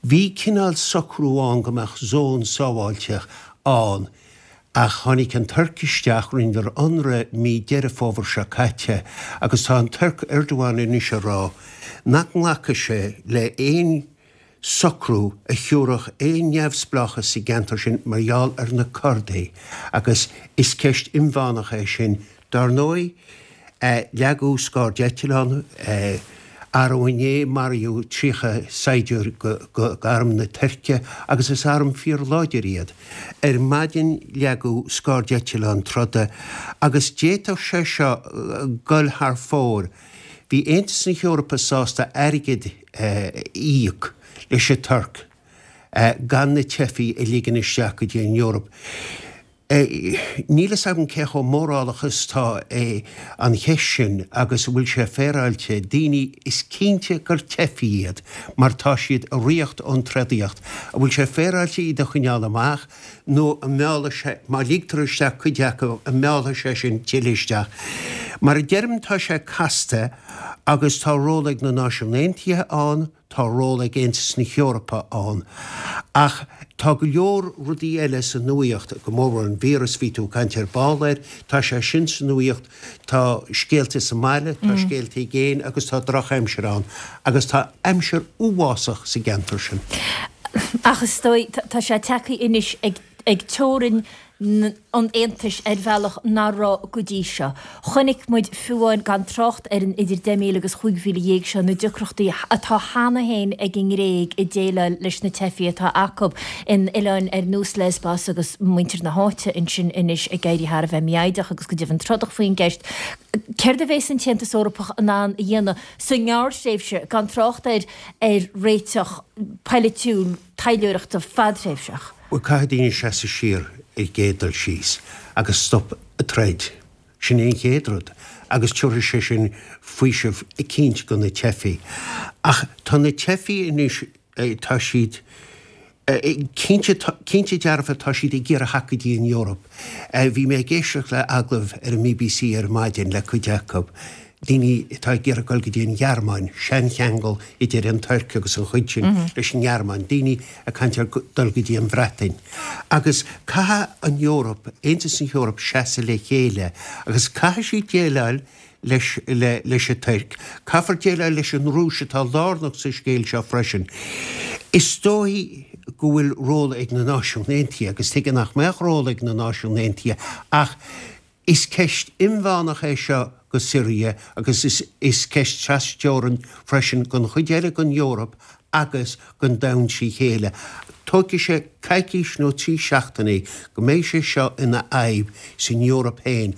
Bhí cineál socrú ann go mbeadh zón sábháilte ann ach tháinig an Tuirc isteach, rinneadar ionradh mí Deireadh Fómhair seo caite agus tá an Tuirc, Erdogan anois ag rá nach nglacfaidh sé le aon socrú a thiúrfadh aon neamhspleáchas sa gceantar sin mar gheall ar na Curdaigh agus is ceist inmheánach é sin. Dar ndóigh, leagadh scairdeitleán arú inné, maraíodh 30 saighdiúir d'arm na Tuirce agus is arm fíorláidir iad. Ar maidin leagadh scairdeitleán troda agus d'fhéadfadh sé seo dul thar fóir. Bhí Aontas na hEorpa sásta airgead a íoc leis an Tuirc gan na teifigh a ligean isteach go dtí an Eoraip. Níl fhios agam cé chomh mórálach is atá é an cheist sin agus an bhfuil sé féaráilte. Daoine, is cinnte gur teifigh iad mar tá siad ag ritheacht ón trodaíocht. An bhfuil sé féaráilte iad a choinneáil amach? nó an meallfaidh sé, má ligtear isteach cuid acu, an meallfaidh sé sin tuilleadh isteach? Mar a deirim, tá sé casta agus tá ról ag na Náisiúin Aontaithe ann, tá ról ag Aontas na hEorpa ann. Ach tá go leor rudaí eile sa nuaíocht, go mórmhór an víreas, bhí tú ag caint ar ball air, tá sé sin sa nuaíocht, tá scéalta sa mbaile, tá scéalta i gcéin agus tá drochaimsir ann agus tá aimsir uafásach sa gceantar sin. Ach is dóigh, tá sé tagtha anois ag teorainn an Aontais ar bhealach nach raibh go dtí seo. Chonaic muid fiú amháin, gan trácht ar an idir 10,000 agus 15,000 seo, na deacrachtaí atá cheana féin ag an nGréig ag déileáil leis na teifigh atá acu in oileáin ar nós Lesbos agus muintir na háite ansin anois ag éirí thar a bheith mífhoighdeach agus go deimhin trodach faoin gceist. Céard a bhéas an tAontas Eorpach in ann a dhéanamh sa ngearrthréimhse, gan trácht ar ar réiteach poilitiúil taidhleoireachta fadthréimhseach? Bhuel, caithfidh daoine seasamh siar ar an gcéad dul síos agus stop an troid. Sin é an chéad rud agus tiúrfaidh sé sin faoiseamh eicínt do na teifigh. Ach tá na teifigh anois, tá siad, cinnte, cinnte dearfa tá siad ag iarraidh theacht go dtí an Eoraip. Bhí mé ag éisteacht le agallamh ar an mBBC ar maidin le cuid acu, daoine atá ag iarraidh dul go dtí an Ghearmáin, seancheangal idir an Tuirc agus an chuid sin leis an nGearmáin, daoine ag caint ar dul go dtí an Bhreatain. Agus caithfidh an Eoraip, Aontas na hEorpa seasamh le chéile agus caithfidh siad déileáil leis leis an Tuirc. Caithfear déileáil leis an Rúis atá lárnach sa scéal seo freisin. Is dóigh go bhfuil ról ag na Náisiúin Aontaithe agus tuige nach mbeadh ról ag na Náisiúin Aontaithe ach is ceist inmheánach é seo go Siria agus is is ceist trasteorann freisin don chuid eile den Eoraip agus don domhan trí chéile. Tógfaidh sé coicís nó 3 seachtainí go mbeidh sé seo ina fhadhb san Eoraip féin.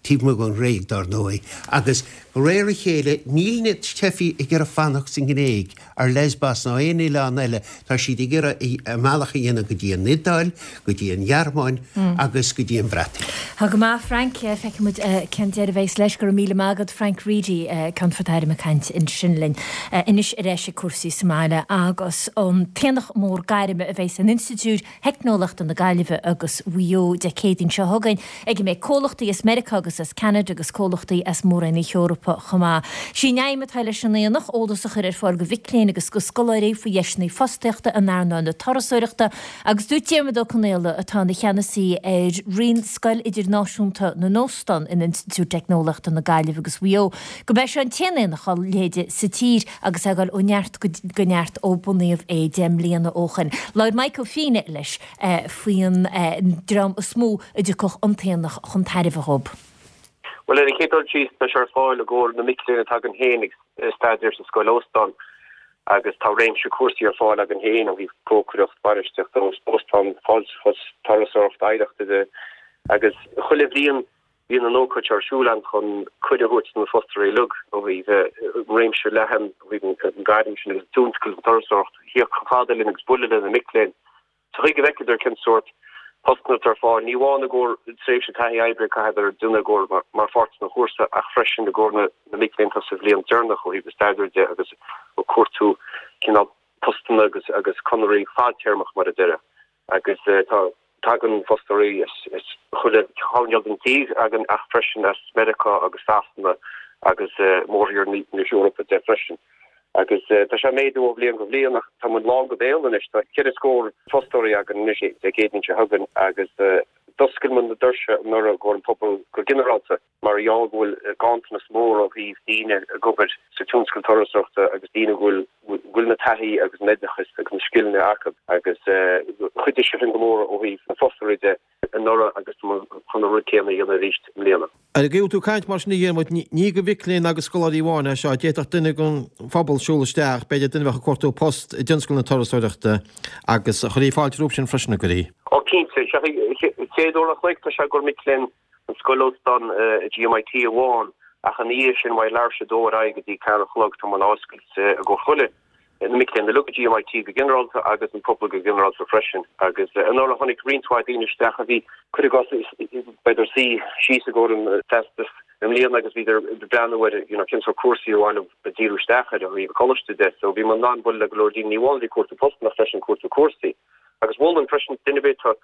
taobh amuigh den Ghréig, dar ndóigh, agus De réir a chéile, níl na teifigh ag iarraidh fanacht sa nGréig, ar Lesbos ná aon oileán eile, tá siad ag iarraidh a mbealach a dhéanamh go dtí an Iodáil, go dtí an Ghearmáin agus go dtí an Bhreatain. Tá go maith, Frank. Feicfidh muid cén deireadh a bheas leis. Go raibh míle maith agat, Frank Reidy, Ceannfort Airm ag caint ansin linn. Anois ar ais ag cúrsaí sa mbaile agus an t-aonach mór gairme a bheas in Institiúid Theicneolaíochta na Gaillimhe agus Mhaigh Eo Dé Céadaoin seo chugainn, ag a mbeidh comhlachtaí as Meiriceá agus as Ceanada agus comhlachtaí as Mór-Roinn na hEorpa chomh maith. Sí an aidhm atá leis an aonach, eolas a chur ar fáil do mhic léinn agus do scoláirí faoi dheiseanna fostaíochta in earnáil na turasóireachta agus dúirt Diarmuid Ó Conaola, atá ina cheannasaí ar roinn Scoil Idirnáisiúnta na nÓstán in Institiúid Teicneolaíochta na Gaillimhe agus Mhaigh Eo, gurb é seo an t-aon aonach dá leithéid sa tír. agus é ag dul ó neart go neart ó bunaíodh é 10 mbliana ó shoin. Labhair Maidhc Ó Fiaich leis faoin dream is mó a dtiocfadh an t-aonach chun tairbhe dhób. Bhuel, ar an chéad dul síos, tá sé ar fáil i gcomhair na mic léinn atá againn féin ag staidéar sa scoil óstán agus tá réimse cúrsaí ar fáil againn féin ó thaobh cócaireacht, bainistíocht óstán, fáilteachas, turasóireacht, oidhreachta de agus chuile bhliain Bíonn an ócáid seo ar siúl ann chun cuireadh a thabhairt do na fostóirí uilig ó thaobh an réimse leathan ó thaobh an gairm sin agus tionscal na turasóireachta thíocht chomh fada linn agus bualadh le na mic léinn sa chaoi go bhfeicfeadar cén sórt postanna atá ar fáil, ní amháin i gcomhair tréimhse taithí oibre a chaithfeadar déanamh i gcomhair mar pháirt den chúrsa ach freisin i gcomhair na mic léinn atá sa bhliain deireanach ó thaobh na staidéir de agus ag cuartú cineál postanna agus agus conairí fadtéarmach mar a déarfá. Agus tá, tagann fostóirí as chuile choirnéal den tír againn ach freisin as Meiriceá agus Sasana agus mórthír na hEorpa de freisin. Agus tá sé ag méadú ó bhliain go bhliain ach tá muid lán go béal anois. Tá ceithre scór fostóirí againn anois Dé Céadaoin seo chugainn agus d'oscail muid na doirse anuraidh i gcomhair an pobal go ginearálta. Mar gheall go bhfuil ganntanas mór ó thaobh daoine ag obair sa tionscal turasóireachta agus daoine go bhfuil na taithí agus an oideachas agus na scileanna acu agus chuidigh sé sin go mór ó thaobh na fostóirí de anuraidh agus tá muid chun an rud céanna a dhéanamh arís i mbliana. Ar an gcaoi a bhfuil tú ag caint mar sin a Dhiarmuid, ní do mhic léinn agus scoláirí amháin é seo, d'fhéadfadh duine den phobal siúl isteach, b'fhéidir duine a bheadh ag cuartú post i dtionscal na turasóireachta agus chuirfí fáilte rompu sin freisin, an gcuirfí? Ó cinnte, chéad uair an chloig tá sé i gcomhair mic léinn an scoil óstán i GMIT amháin ach ina dhiaidh sin ó leathuair tar éis a dó ar aghaidh go dtí ceathair a chlog tá muid á oscailt i gcomhair chuile na mic léinn uilig i GMIT go ginearálta agus an pobal go ginearálta freisin agus anuraidh tháinig roinnt mhaith daoine isteach a bhí cuir i gcás b'fhéidir suí síos i gcomhair an teastas i mbliana agus bhíodar ag breathnú ar you know cén sórt cúrsaí ar mhaith leo díriú isteach ar ó thaobh coláiste de so bhí muid in ann bualadh le go leor daoine ní amháin a bhí ag cuartú postanna ach freisin cuartú cúrsaí. Agus mholfainn freisin duine ar bith atá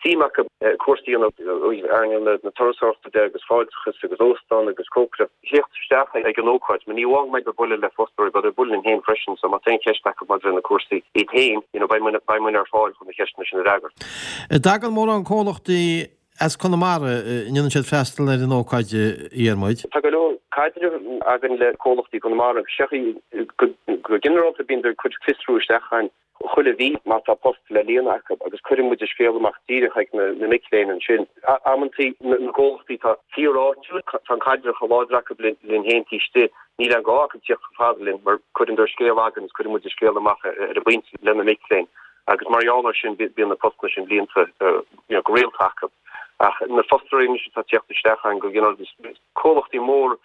suim acu cúrsaí a dhéanamh ó thaobh earnáil na turasóireachta de agus fáilteachas agus óstán agus cócaireacht, theacht isteach ag an ócáid. Mar ní amháin go mbeidh ag bualadh le fostóirí, beidh ag bualadh linn féin freisin so má tá aon cheist acu maidir le na cúrsaí iad féin, you know, beidh muid, beidh muid ar fáil chun na ceisteanna sin a fhreagairt. An dtagann mórán comhlachtaí as Conamara, an ndéanann siad freastal ar an ócáid, a Dhiarmuid? Tá go leor caidreamh againn le comhlachtaí Conamara agus go, go ginearálta bíonn ag cur fiosrú isteach againn chuile mhí má tá post le líonadh acu agus cuireann muid an scéal amach díreach ag na mic léinn ansin. Amantaí na comhlachtaí atá fíor-áitiúil, tá an caidreamh chomh láidir acu linn féin taobh istigh, níl aon ghá acu tíocht chomh fada linn mar cuireann scéal againn agus cuireann muid an scéal amach ar an bpointe le na mic léinn agus mar gheall air sin bíonn na postanna sin líonta go rialta acu. Ach na fostóirí anois atá ag tíocht isteach againn go ginearálta, comhlachtaí mór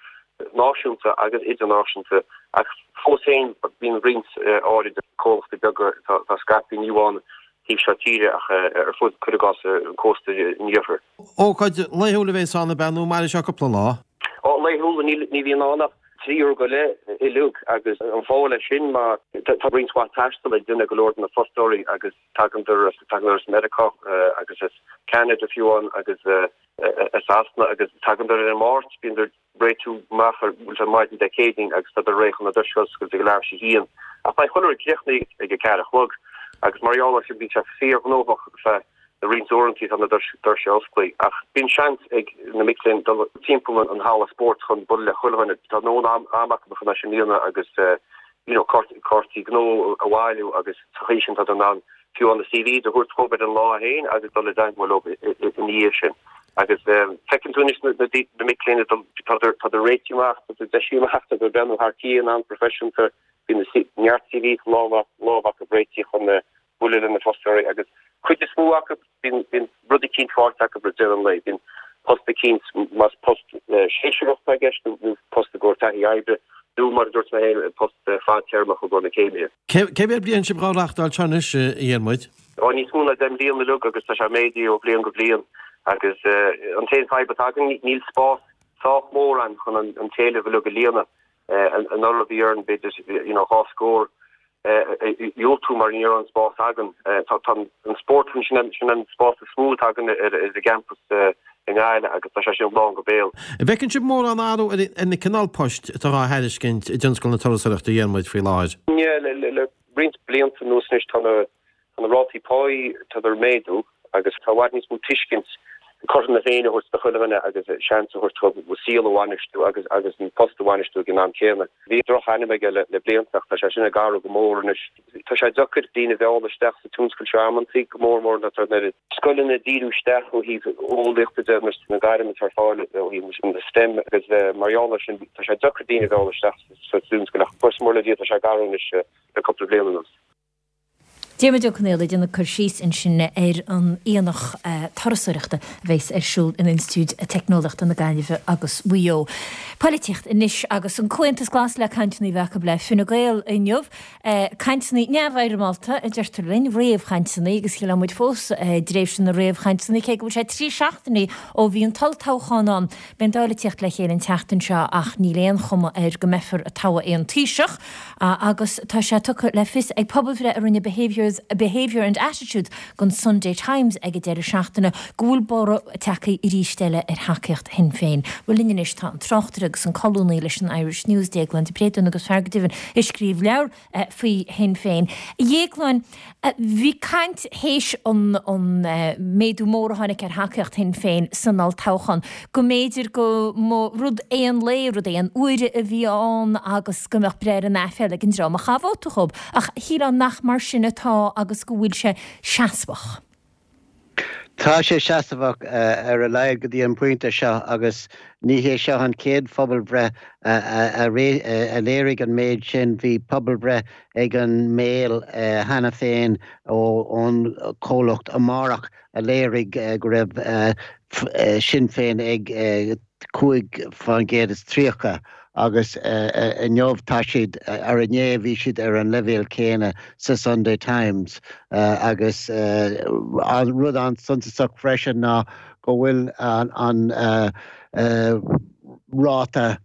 náisiúnta agus idirnáisiúnta ach fós féin bíonn roinnt áirid comhlachtaí beaga atá scaipthe ní amháin taobh seo tíre ach ar fud, cuir i gcás, an cósta an iarthair. Ócáid laethúil a bheas ann, ab ea, nó mairfidh sé cúpla lá? Ó, laethúil, ní bhíonn ann ach 3 uair go leith uilig agus an fáth leis sin mar tá roinnt mhaith taistil ag déanamh go leor de na fostóirí agus tagann as Meiriceá agus as Ceanada fiú amháin agus as Sasana agus tagann ar an Máirt, bíonn ag réitiú amach ar bhfuil sé maidin Dé Céadaoin agus tá réidh chun na doirse a oscailt ag leathuair tar éis a haon. Ach beidh chuile rud críochnaithe ag a 4 a chlog agus mar gheall air sin bíonn sé fíorghnóthach feadh na roinnt uaireanta atá na doirse osclaithe. Ach bíonn seans ag na mic léinn dul timpeall an halla spóirt chun bualadh le chuile dhuine. Tá ndóthain ama acu chun é sin a dhéanamh agus you know cártaí gnó a bhailiú agus sa chaoi sin tá in ann fiú na CVs a thabhairt dhóibh ar an lá féin agus dul i dteagmháil leo ina dhiaidh sin. Agus feiceann tú anois na mic léinn ag dul, tádar réitithe amach, tádar deisithe amach, tádar ag breathnú thar cionn an-phroifisiúnta, bíonn neart CVs sa lámh acu réitithe chun bualadh le na fostóirí agus cuid is mó acu bíonn rud eicínt faighte acu roimh deireadh an lae. Bíonn. Post eicínt, más post séasúrach atá i gceist nó post i gcomhair taithí oibre nó, mar a dúirt mé féin, post fadtéarmach i gcomhair na céimithe. Cé mhéad bliain sibh dhá reáchtáil seo anois, a Dhiarmuid? Ó, níos mó ná 10 mbliana uilig agus tá sé ag méadú ó bhliain go bliain agus an t-aon fadhb atá againn, níl spás sách mór ann chun an t-éileamh uilig a líonadh. Anuraidh bhí orainn b'fhéidir you know 2 scór a dhiúltú mar ní raibh an spás againn. Tá an spórtlann, sin an sin an spás is mó atá againn ar ar an gcampas i nGaillimh agus tá sé sin lán go béal. An bhfeiceann sibh mórán athrú ar ar na cineál poist atá á thairiscint i dtionscal na turasóireachta a Dhiarmuid faoi láthair? Yeah, le le le roinnt blianta anuas anois tá na Tá na rátaí páí, tádar ag méadú agus tá i bhfad níos mó tuiscint cothrom na Féinne a thabhairt do chuile dhuine agus seans a thabhairt dóibh a saol a bhainistiú agus agus an post a bhainistiú ag an am céanna. Bhí droch-ainm aige le blianta ach tá sé sin ag athrú go mór anois. Tá sé deacair daoine a mhealladh isteach sa tionscal seo amantaí, go mór mór nuair atá an oiread scoileanna ag díriú isteach ó thaobh eolaíochta de nó na gairm atá ar fáil ó thaobh na STEM agus mar gheall air sin tá sé deacair daoine a mhealladh isteach sa tionscal ach buíochas mór le Dia tá sé ag athrú anois le cúpla bliain anuas. Diarmuid Ó Conaola ag déanamh cur síos ansin ar an aonach turasóireachta a bheas ar siúl in Institiúid Teicneolaíochta na Gaillimhe agus Mhaigh Eo. Poilitíocht anois agus an Comhaontas Glas le cainteanna a bheith acu le Fine Gael inniu. Cainteanna neamhfhoirmeálta a deirtear linn, réamhchainteanna agus shílfeá muid fós i dtréimhse na réamhchainteanna cé go bhfuil sé 3 seachtainí ó bhí an t-olltoghchán ann. Beidh an Dáil ag tíocht le chéile an tseachtain seo ach níl aon chuma air go mbeifear ag toghadh aon Taoiseach. Agus tá sé tugtha le fios ag pobalbhreith a rinne Behaviours, Behaviour and Attitudes don Sunday Times ag an deireadh seachtaine go bhfuil borradh tagtha arís eile ar thacaíocht Shinn Féin. Bhuel linn anois tá an tráchtaire agus an colúnaí leis an Irish News, Déaglán de Bréadún agus fear go deimhin a scríobh leabhar faoi Shinn Féin. A Dhéagláin, bhí caint théis an méadú mór a tháinig ar thacaíocht Shinn Féin san olltoghchán go mb'fhéidir go mba rud aon lae, rud aon uaire a bhí ann agus go mbeadh breith ar an aiféala ag an dream a chaith vóta dhób. Ach shílfeá nach mar sin atá agus go bhfuil sé seasmhach. Tá sé seasmhach, ar a laghad go dtí an pointe seo, agus ní hé seo an chéad phobalbhreith a léirigh an méid sin. Bhí pobalbhreith ag an Mail cheana féin ón chomhlacht Amárach a léirigh go raibh Sinn Féin ag 35% agus inniu tá siad, ar inné bhí siad ar an leibhéal céanna sa Sunday Times agus rud an-suntasach freisin ná go bhfuil an ráta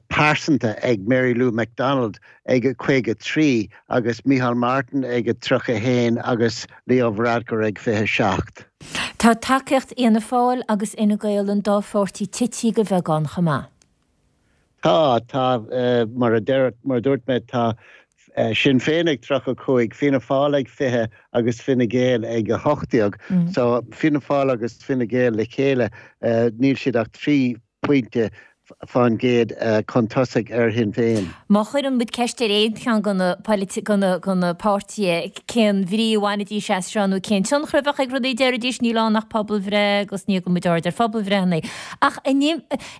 pearsanta ag Mary Lou McDonald ag 53 agus Micheál Martin ag 31 agus Leo Varadkar ag 27. Tá tacaíocht Fhianna Fáil agus Fhine Gael an dá pháirtí tití de bheagán chomh maith. Tá, tá, mar a deir, mar a dúirt mé, tá Sinn Féin ag 35, Fianna Fáil ag 20 agus Fine Gael ag 18. So Fianna Fáil agus Fine Gael le chéile, níl siad ach 3 pointe fán gcéad chun tosaigh ar Shinn Féin. Má chuireann muid ceist ar aon cheann de na de na páirtithe cén bhrí a bhainfidís as seo nó cén tionchar a bheadh ag rudaí, déarfaidís níl ann ach pobalbhreith agus ní thugann muid aird ar phobalbhreitheanna. Ach an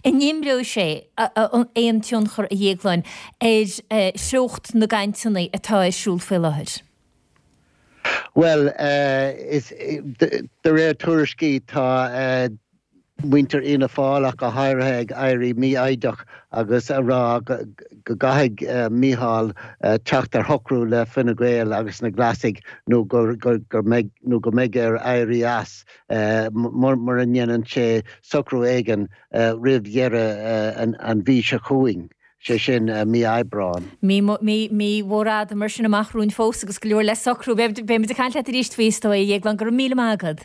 imreoidh sé aon tionchar, a Dhéagláin, ar threocht na gcainteanna atá ar siúl faoi láthair? Bhuel, de réir tuairiscí tá muintir Fhianna Fáil ach go háirithe ag éirí mífhoighdeach agus a rá go gcaithfidh Micheál teacht ar shocrú le Fine Gael agus na Glasaigh nó go mbeidh nó go mbeidh air éirí as mura ndéanann sé socrú éigin roimh dheireadh an mhí seo chugainn. sé sin mí Aibreáin. Mí mhór fhada mar sin amach romhainn fós agus go leor le socrú. Beidh muid ag caint leat arís faoi is dóigh, a Dhéagláin. Go raibh míle maith agat.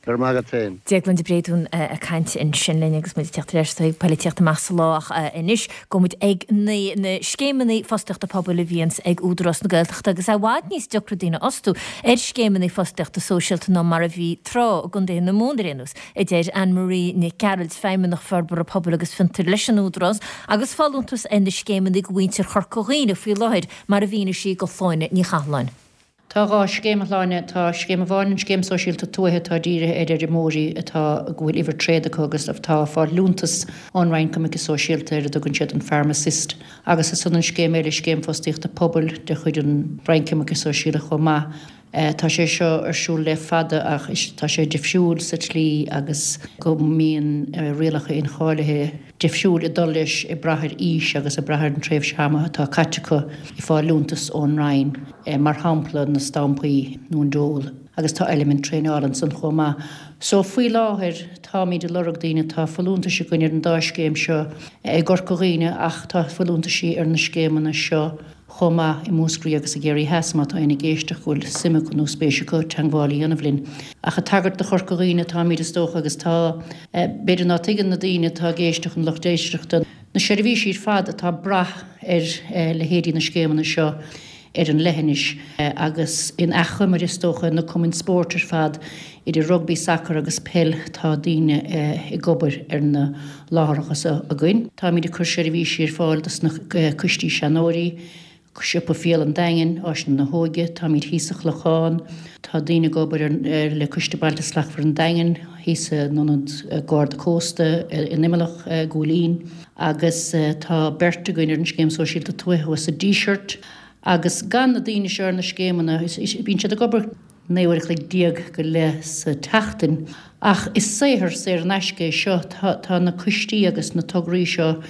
Go raibh maith agat féin. Déaglán de Bréadún ag caint ansin linn agus muid ag teacht ar ais chuig Poilitíocht Amach sa Lá ach anois gabhfaidh muid ag na scéimeanna fostaíochta pobail a bhíonns ag Údarás na Gaeltachta agus é i bhfad níos deacra daoine a fhostú ar scéimeanna fostaíochta sóisialta ná mar a bhí tráth, i gContae na Mumhan ar aon nós, a deir Anne Marie Nic Gearailt, Feidhmeannach Forbartha Pobail agus Fiontair leis an Údarás, agus folúntas ar na scéimeanna do mhuintir Chorca Dhuibhne faoi láthair mar a mhínigh sí do Shláine Ní Chathalláin. Tá 2 scéim, a Shláine. Tá scéim amháin, an Scéim Sóisialta Tuaithe, atá dírithe ar fheirmeoirí atá, go bhfuil uimhir tréad acu agus atá ag fáil liúntas ón Roinn Coimirce Sóisialta ar a dtugann siad an Farm Assist. Agus ansan an scéim eile, Scéim Fostaíochta Pobail de chuid an Roinn Coimirce Sóisialta chomh maith. Tá sé seo ar siúl le fada ach tá sé difriúil sa tslí agus go mbíonn rialacha incháilithe difriúil ag dul leis ag brath ar aois agus ag brath ar an tréimhse ama atá caite acu ag fáil liúntas ón Roinn, mar shampla na stampaí nó an dole, agus tá eilimint traenála ansan chomh maith. So faoi láthair táimid ag lorg daoine, tá folúntais againn ar an dá scéim seo i gCorca Dhuibhne ach tá folúntaisí ar na scéimeanna seo chomh maith i Múscraí agus i gCiarraí Theas, má tá éinne ag éisteacht go bhfuil suim acu nó spéis acu teangmháil a dhéanamh linn. Ach ag tagairt do Chorca Dhuibhne atáimid is dócha agus tá, b'fhéidir ná tuigeann na daoine atá ag éisteacht, an lucht éisteachta, na seirbhísí ar fad atá ag brath ar leithéidí na scéimeanna seo ar an leithinis agus in achoimre is dócha na cumainn spóirt ar fad idir rugbaí, sacar agus peil tá daoine ag obair ar na láithreacha seo againn. Táimid ag cur seirbhísí ar fáil dos na coistí seanóirí, Siopa Fial an Daingin, Áiseanna na hÓige, táimid thíos sa Chlochán, tá daoine ag obair ar le Coiste Bailte Slachtmhara an Daingin, thíos in Ionad Garda Cósta in Imileach, Góilín, agus tá beirt againn ar an Scéim Sóisialta Tuaithe thuas sa Díseart. Agus gan na daoine seo ar na scéimeanna, bíonn siad ag obair. 19 uair a chloig go leith sa tseachtain. Ach is saothar saor in aisce é seo. Tá na coistí agus na tograí seo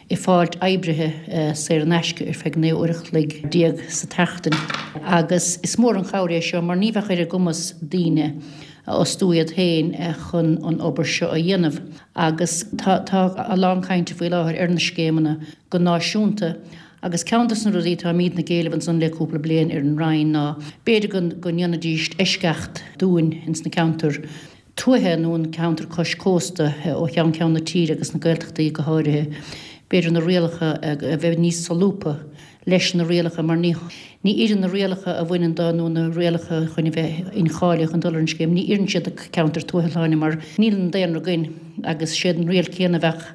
ag fáilt oibrithe saor in aisce ar feadh 19 uair a chloig sa tseachtain agus is mór an chabhair é seo mar ní bheadh ar a gcumas daoine a fhostú iad féin chun an obair seo a dhéanamh. Agus tá a lán cainte faoi láthair ar na scéimeanna go náisiúnta Agus ceann dos na rudaí atáimidne ag éileamh ansan le cúpla bliain ar an Roinn ná b'fhéidir go go ndéanfaidíst eisceacht dúinn ins na ceantair tuaithe nó an ceantar cois cósta ó cheann ceann na tíre agus na Gaeltachtaí go háirithe, b'fhéidir na rialacha a bheith níos solúbtha leis na rialacha mar ní ní oireann na rialacha a bhaineann do nó na rialacha chun a bheith incháilithe chun dul ar an scéim, ní oireann siad do ceantair tuaithe Shláine mar níl an daonra againn agus séard an riail céanna a bheadh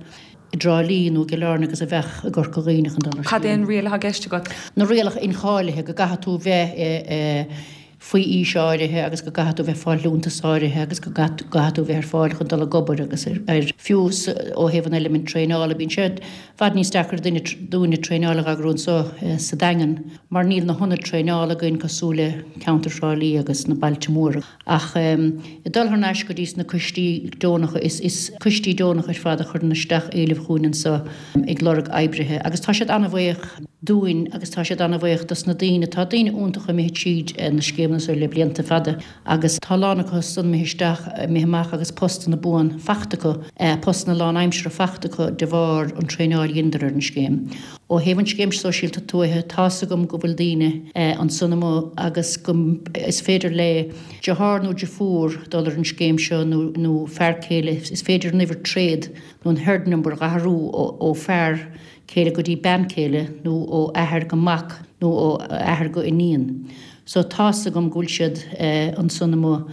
i dTrá Lí nó i gCill Airne agus a bheadh i gCorca Dhuibhne chun dul ar Cad é an riail atá i gceist agat? Na rialacha incháilithe, go gcaithfidh tú bheith faoi aois áirithe agus go gcaithfidh tú bheith ag fáil liúntas áirithe agus go gcaithfidh tú bheith ar fáil chun dul ag obair agus ar fiú ó thaobh an eilimint traenála bíonn sé i bhfad níos deacra duine dúinne traenáil a eagrú anseo sa Daingean mar níl na hionaid traenála againn cosúil le ceantar Thrá Lí agus na bailte móra. Ach ag dul thar n-ais go dtí sna coistí deonacha, is coistí deonacha ar fad a chuireann isteach éilimh chugainn anseo ag lorg oibrithe agus tá siad an-bhuíoch dúinn agus tá siad an-bhuíoch dos na daoine. Tá daoine iontacha imithe tríd na scéimeanna seo le blianta fada agus tá a lán acu san imithe isteach, imithe amach agus postanna buan fachta acu, postanna lánaimseartha fachta acu de bharr an traenáil a dheineadar ar an scéim. Ó thaobh an Scéim Sóisialta Tuaithe, tá's agam go bhfuil daoine ansan amuigh agus go is féidir le deartháir nó deirfiúr dul ar an scéim seo nó nó fear céile, is féidir an uimhir tréad nó an herd number a athrú ó fear céile go dtí bean céile nó ó athair go mac nó ó athair go iníon. So tá's agam go bhfuil siad ansan amuigh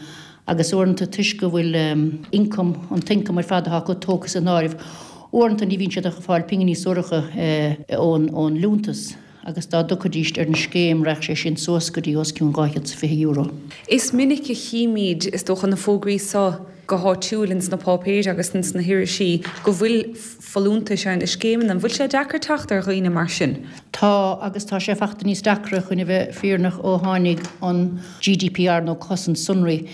agus uaireanta toisc go bhfuil income, an t-ioncam ar fad atá acu tógtha san áireamh, uaireanta ní bhíonn siad ach ag fáil pinginí suaracha ón ón liúntas agus dá dtiocfaidíst ar an scéim raghadh sé sin suas go dtí os cionn €220. Is minic a chímid, is dócha, na fógraí so go háitiúil ins na páipéir agus ins na hirisí go bhfuil folúntais ar na scéimeanna. An bhfuil sé deacair teacht ar dhaoine mar sin? Tá, agus tá sé fachta níos deacra, chun a bheith fírinneach, ó tháinig an GDPR nó cosaint sonraí.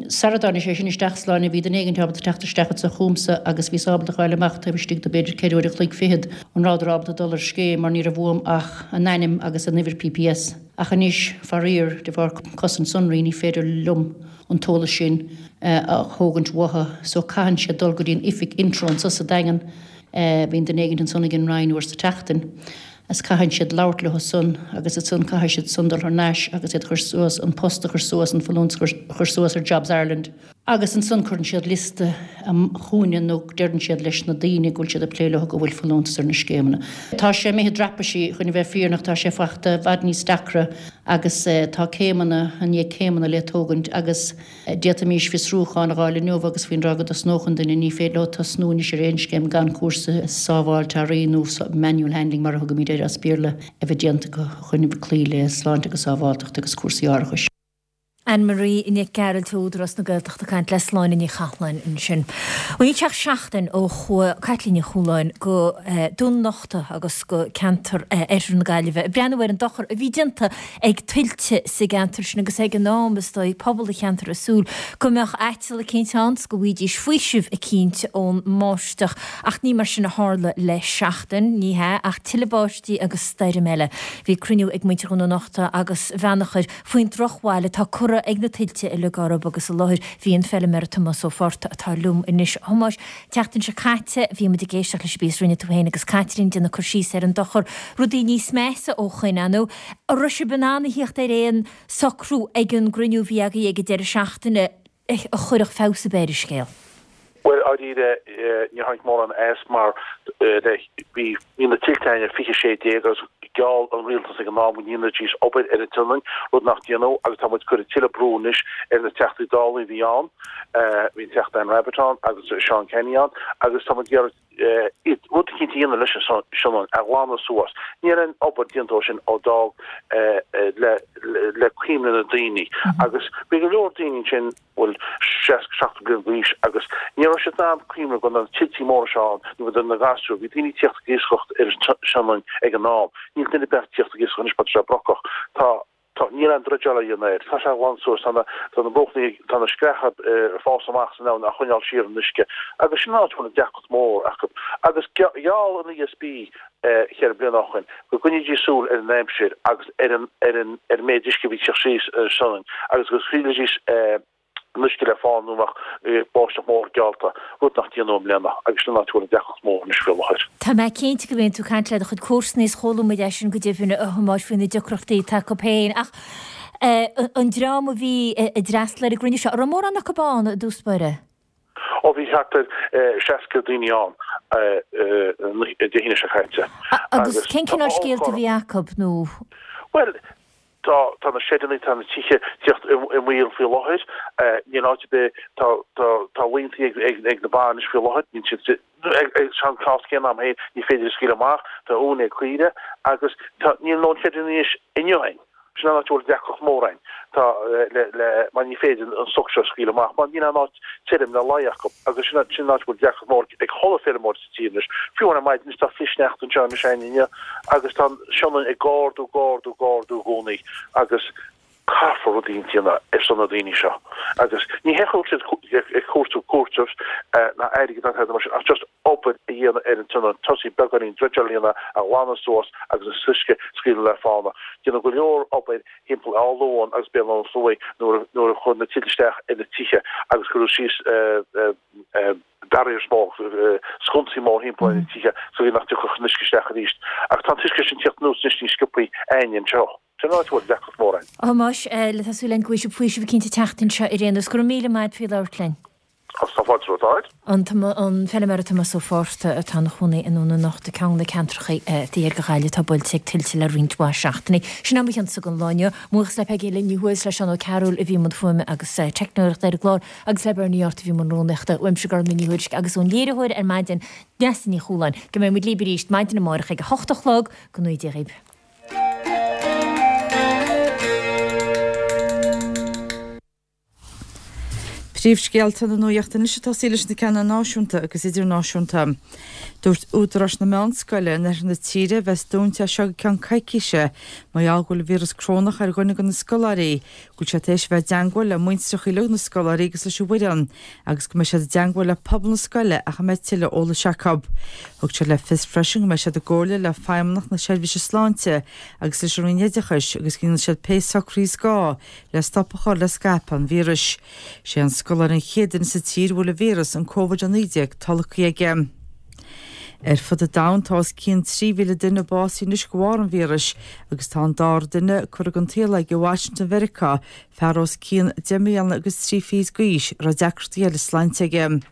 Sara dtáinig sé sin isteach Sláine, bhí duine éigin ábalta teacht isteach anso chugamsa agus bhíos ábalta a fháil amach taobh istigh de b'fhéidir 4 uair a chloig fichead an rabhadar ábalta dul ar scéim mar ní raibh uaim ach a n-ainm agus a n-uimhir PPS. Ach anois, faraor, de bharr cosaint sonraí ní féidir liom an t-eolas sin a thógaint uathu so caitheann siad dul go dtí an oifig Intreo anso sa Daingean, bíonn duine éigin ansan ag an Roinn uair sa tseachtain, is caitheann siad labhairt leo san agus ansan caithfidh siad san dul thar n-ais agus iad a chur suas, an post a chur suas, an folúntas a chur suas ar Jobs Ireland. Agus ansan cuireann siad liosta chugainne nó deireann siad leis na daoine go bhfuil siad ag plé leo go bhfuil folúntas ar na scéimeanna. Tá sé imithe i dtraipisí, chun a bheith fírinneach, tá sé fachta i bhfad níos deacra agus tá céimeanna i ndiaidh céimeanna le tógaint agus d'fhéadfaimís fiosrúchán a dh'fháil inniu agus faoin dtráth go dtosnódh an duine, ní féidir leo tosnú anois ar aon scéim gan cúrsa sábháilte earraí nó manual handling mar a thugaimid air as Béarla a bheith déanta acu chun cloí le sláinte agus sábháilteacht agus cúrsaí árachais. Anne Marie Nic Gearailt ó Údarás na Gaeltachta ag caint le Sláine Ní Chathalláin ansin. Bhuel níl sé ach seachtain ó chuaigh Caitlín Ní Chualáin go Dún an Uchta agus go ceantar oirthear na Gaillimhe ag breathnú ar an dochar a bhí déanta ag tuilte sa gceantar sin agus ag an am is dóigh pobal an cheantair ag súil go mbeadh aiteal eicínt ann 's go bhfaighidís faoiseamh eicínt ón mbáisteach ach ní mar sin a tharla le seachtain, ní hea, ach tuilleadh báistí agus stoirm eile. Bhí cruinniú ag muintir Dhún an Uchta agus Bheannachair faoin drochbhail atá curtha ag na tuilte uilig orthu agus i láthair bhí an feilméara Tomás Ó Fátharta atá liom anois. A Thomáis, tseachtain seo caite bhí muid ag éisteacht leis an bpíosa a rinne tú féin agus Caitlín ag déanamh cur síos ar an dochar, rudaí níos measa ó shoin, an ndóigh. An raibh sibh in ann a thíocht ar aon socrú ag an gcruinniú a bhí agaibh ag an deireadh seachtaine a chuirfeadh feabhas ar bith ar an scéal? Bhuel, dáiríre, níor tháinig mórán as mar bhí na tuilte againn i 2016 agus gheall an rialtas ag an am go ndéanfaidís obair ar an tSionainn, rud nach déanadh agus tá muid ag cur tuilleadh brú anois ar na Teachtaí Dála a bhí ann, bhí an Teachta Anne Rabbitte ann agus Seán Canney ann agus tá muid ag iarraidh rud eicínt a dhéanamh leis an Sionainn, a ghlanadh suas. Níl aon obair déanta ó sin ó d'fhág le cuimhne na daoine agus bhí go leor daoine ansin, bhfuil 60, 70 bliain d'aois agus ní raibh siad in ann cuimhneamh go raibh na tuiltí móra seo ann nuair a bhí na gasúir, bhí daoine ag tíocht ag iascaireacht ar an Sionainn ag an am. Níl duine ar bith ag tíocht ag iascaireacht anois mar tá sé brocach. Tá, tá, níl aon dreideáil á dhéanamh air. Tá sé glan suas, tá na, tá na bruachanna, tá na screacha ag fás amach san abhainn á choinneáil siar an uisce agus sin an áit a bhfuil an deacracht mór acu. Agus gheall an ESB cheithre bliana ó shoin, go gcoinnídís súil ar an aimsir agus ar an ar an ar an méid uisce a bhí ag teacht síos ar an Sionainn agus go scaoilfidís an uisce le fána nuair a bheadh báisteach mór geallta, rud nach déanadh i mbliana agus sin an áit a bhfuil an deacracht mór anois faoi láthair. Tá mé cinnte go mbíonn tú ag caint le do chuid comharsana is chuala muid é sin go deimhin, a Thomáis, faoi na deacrachtaí atá acu féin. Ach an dream a bhí ag d'fhreastal ar an gcruinniú seo, an raibh mórán acu ann i dtús báire? Ó bhí thart ar 60 daoine ann Dé hAoine seo caite. Agus cén cineál scéalta a bhí acu nó? Bhuel, tá tá na seideanna, tá na tithe tíocht i mbaol faoi láthair. Níl áit ar bith, tá tá tá laontaí ag ag ag na ba anois faoi láthair, níl siad ag an cás céanna agam féin, ní féidir a scaoileadh amach, tá uain ag caoire agus tá níl ndóthain seideanna anois inniu againn. Sin an áit a bhfuil deacracht mór againn. Tá le, le, mar ní féidir an stoc seo a scaoileadh amach mar níl aon áit tirim le luí acu agus sin, sin an áit a bhfuil deacracht mór ag chuile feirmeoir sa tír anois. Fiú ar maidin anois tá flichshneachta anseo anois againn inniu agus tá an Sionainn ag ardú, ag ardú, ag ardú i gcónaí agus caithfear rud éigin a dhéanamh ar son na daoine seo agus ní hé go bhfuil siad ag cuartú cúiteamh ná airgead ná tada mar sin ach just obair a dhéanamh ar an tSionainn, tosaí beagáinín dreideáil a dhéanamh, a ghlanadh suas agus an t-uisce a scaoileadh le fána. Déanadh go leor obair thimpeall Áth Luain agus Béal Átha an Sluaigh nuair nuair a chuir na tuilte isteach ar na tithe agus cuireadh síos barriers mór, sconsaí mór thimpeall ar na tithe so nach dtiocfadh an uisce isteach arís. Ach tá an t-uisce sin tíocht anuas anois níos sciobthaí againne anseo. Sin an áit a bhfuil deacracht mór againn. A Thomáis, tá súil againn go bhfaighidh sibh faoiseamh eicínt an tseachtain seo ar aon nós. Go raibh míle maith a't faoi labhairt linn. Agus tá fáilte romhat áit. An feilméara Tomás Ó Fátharta atá ina chónaí i nDún an Uchta, ceann de na ceantracha thiar de Ghaillimh atá buailte ag tuilte le roinnt mhaith seachtainí. Sin é mo chionsa don lá inniu. Mo bhuíochas le Peigí Lynn Ní Thuathail is le Seán Ó Cearúil a bhí i mbun fuaime agus teicneoireachta ar an gclár agus le Bernie Art a bhí i mbun rúnaíochta. Uaimse Gormfhlaith Ní Thuairisg agus ón léiritheoir ar maidin, Neasa Ní Chualáin. Go mbeidh muid libh arís maidin amárach ag a hocht a chlog. Go ngnóthaí Dia dhaoibh. Príomhscéalta na nuachta anois ag tosaí leis na ceanna náisiúnta agus idirnáisiúnta. Dúirt údaráis na meánscoile in oirthear na tíre a bheas dúnta as seo go ceann coicíse mar gheall go bhfuil an víreas corónach ar dhuine de na scoláirí, go bhfuil siad tar éis a bheith i dteangmháil le muintreacha uilig na scoláirí agus leis an bhfoireann agus go mbeidh siad i dteangmháil le pobal na scoile ach a mbeidh tuilleadh eolais acu. Thug siad le fios freisin go mbeidh siad i gcomhairle le Feidhmeannacht na Seirbhíse Sláinte agus leis an Roinn Oideachais agus go ndéanfaidh siad pé socruithe is gá le stop a chur le scaipeadh an víris. Sé an scoláire an chéad duine sa tír a bhfuil an víreas, an Covid-19, tolgtha aige. Ar fud an domhain tá os cionn 3,000 duine básaithe anois de bharr an víris agus tá an dara duine curtha den tsaol aige i Washington Mheiriceá, fear os cionn deich mbliana agus trí fichid d'aois a raibh deacrachtaí eile sláinte aige.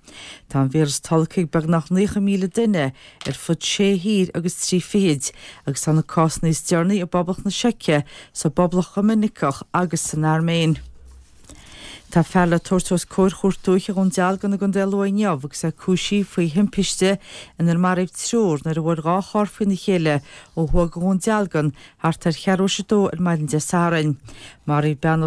Tá an víreas tolgtha ag beagnach 90,000 duine ar fud sé thír agus trí fichid, agus tá na cásanna is deireanaí i bPoblacht na Seice, sa bPoblacht Dhoiminiceach agus san Airméin. Tá fear le tabhairt os comhair Chúirt Dúiche Dhún Dealgan i gContae Lú inniu agus é cúisithe faoi thimpiste inar maraíodh triúr nuair a bhuail dhá charr faoina chéile ó thuaidh de Dhún Dealgan thart ar cheathrú théis a dó ar maidin Dé Sathairn. Maraíodh bean.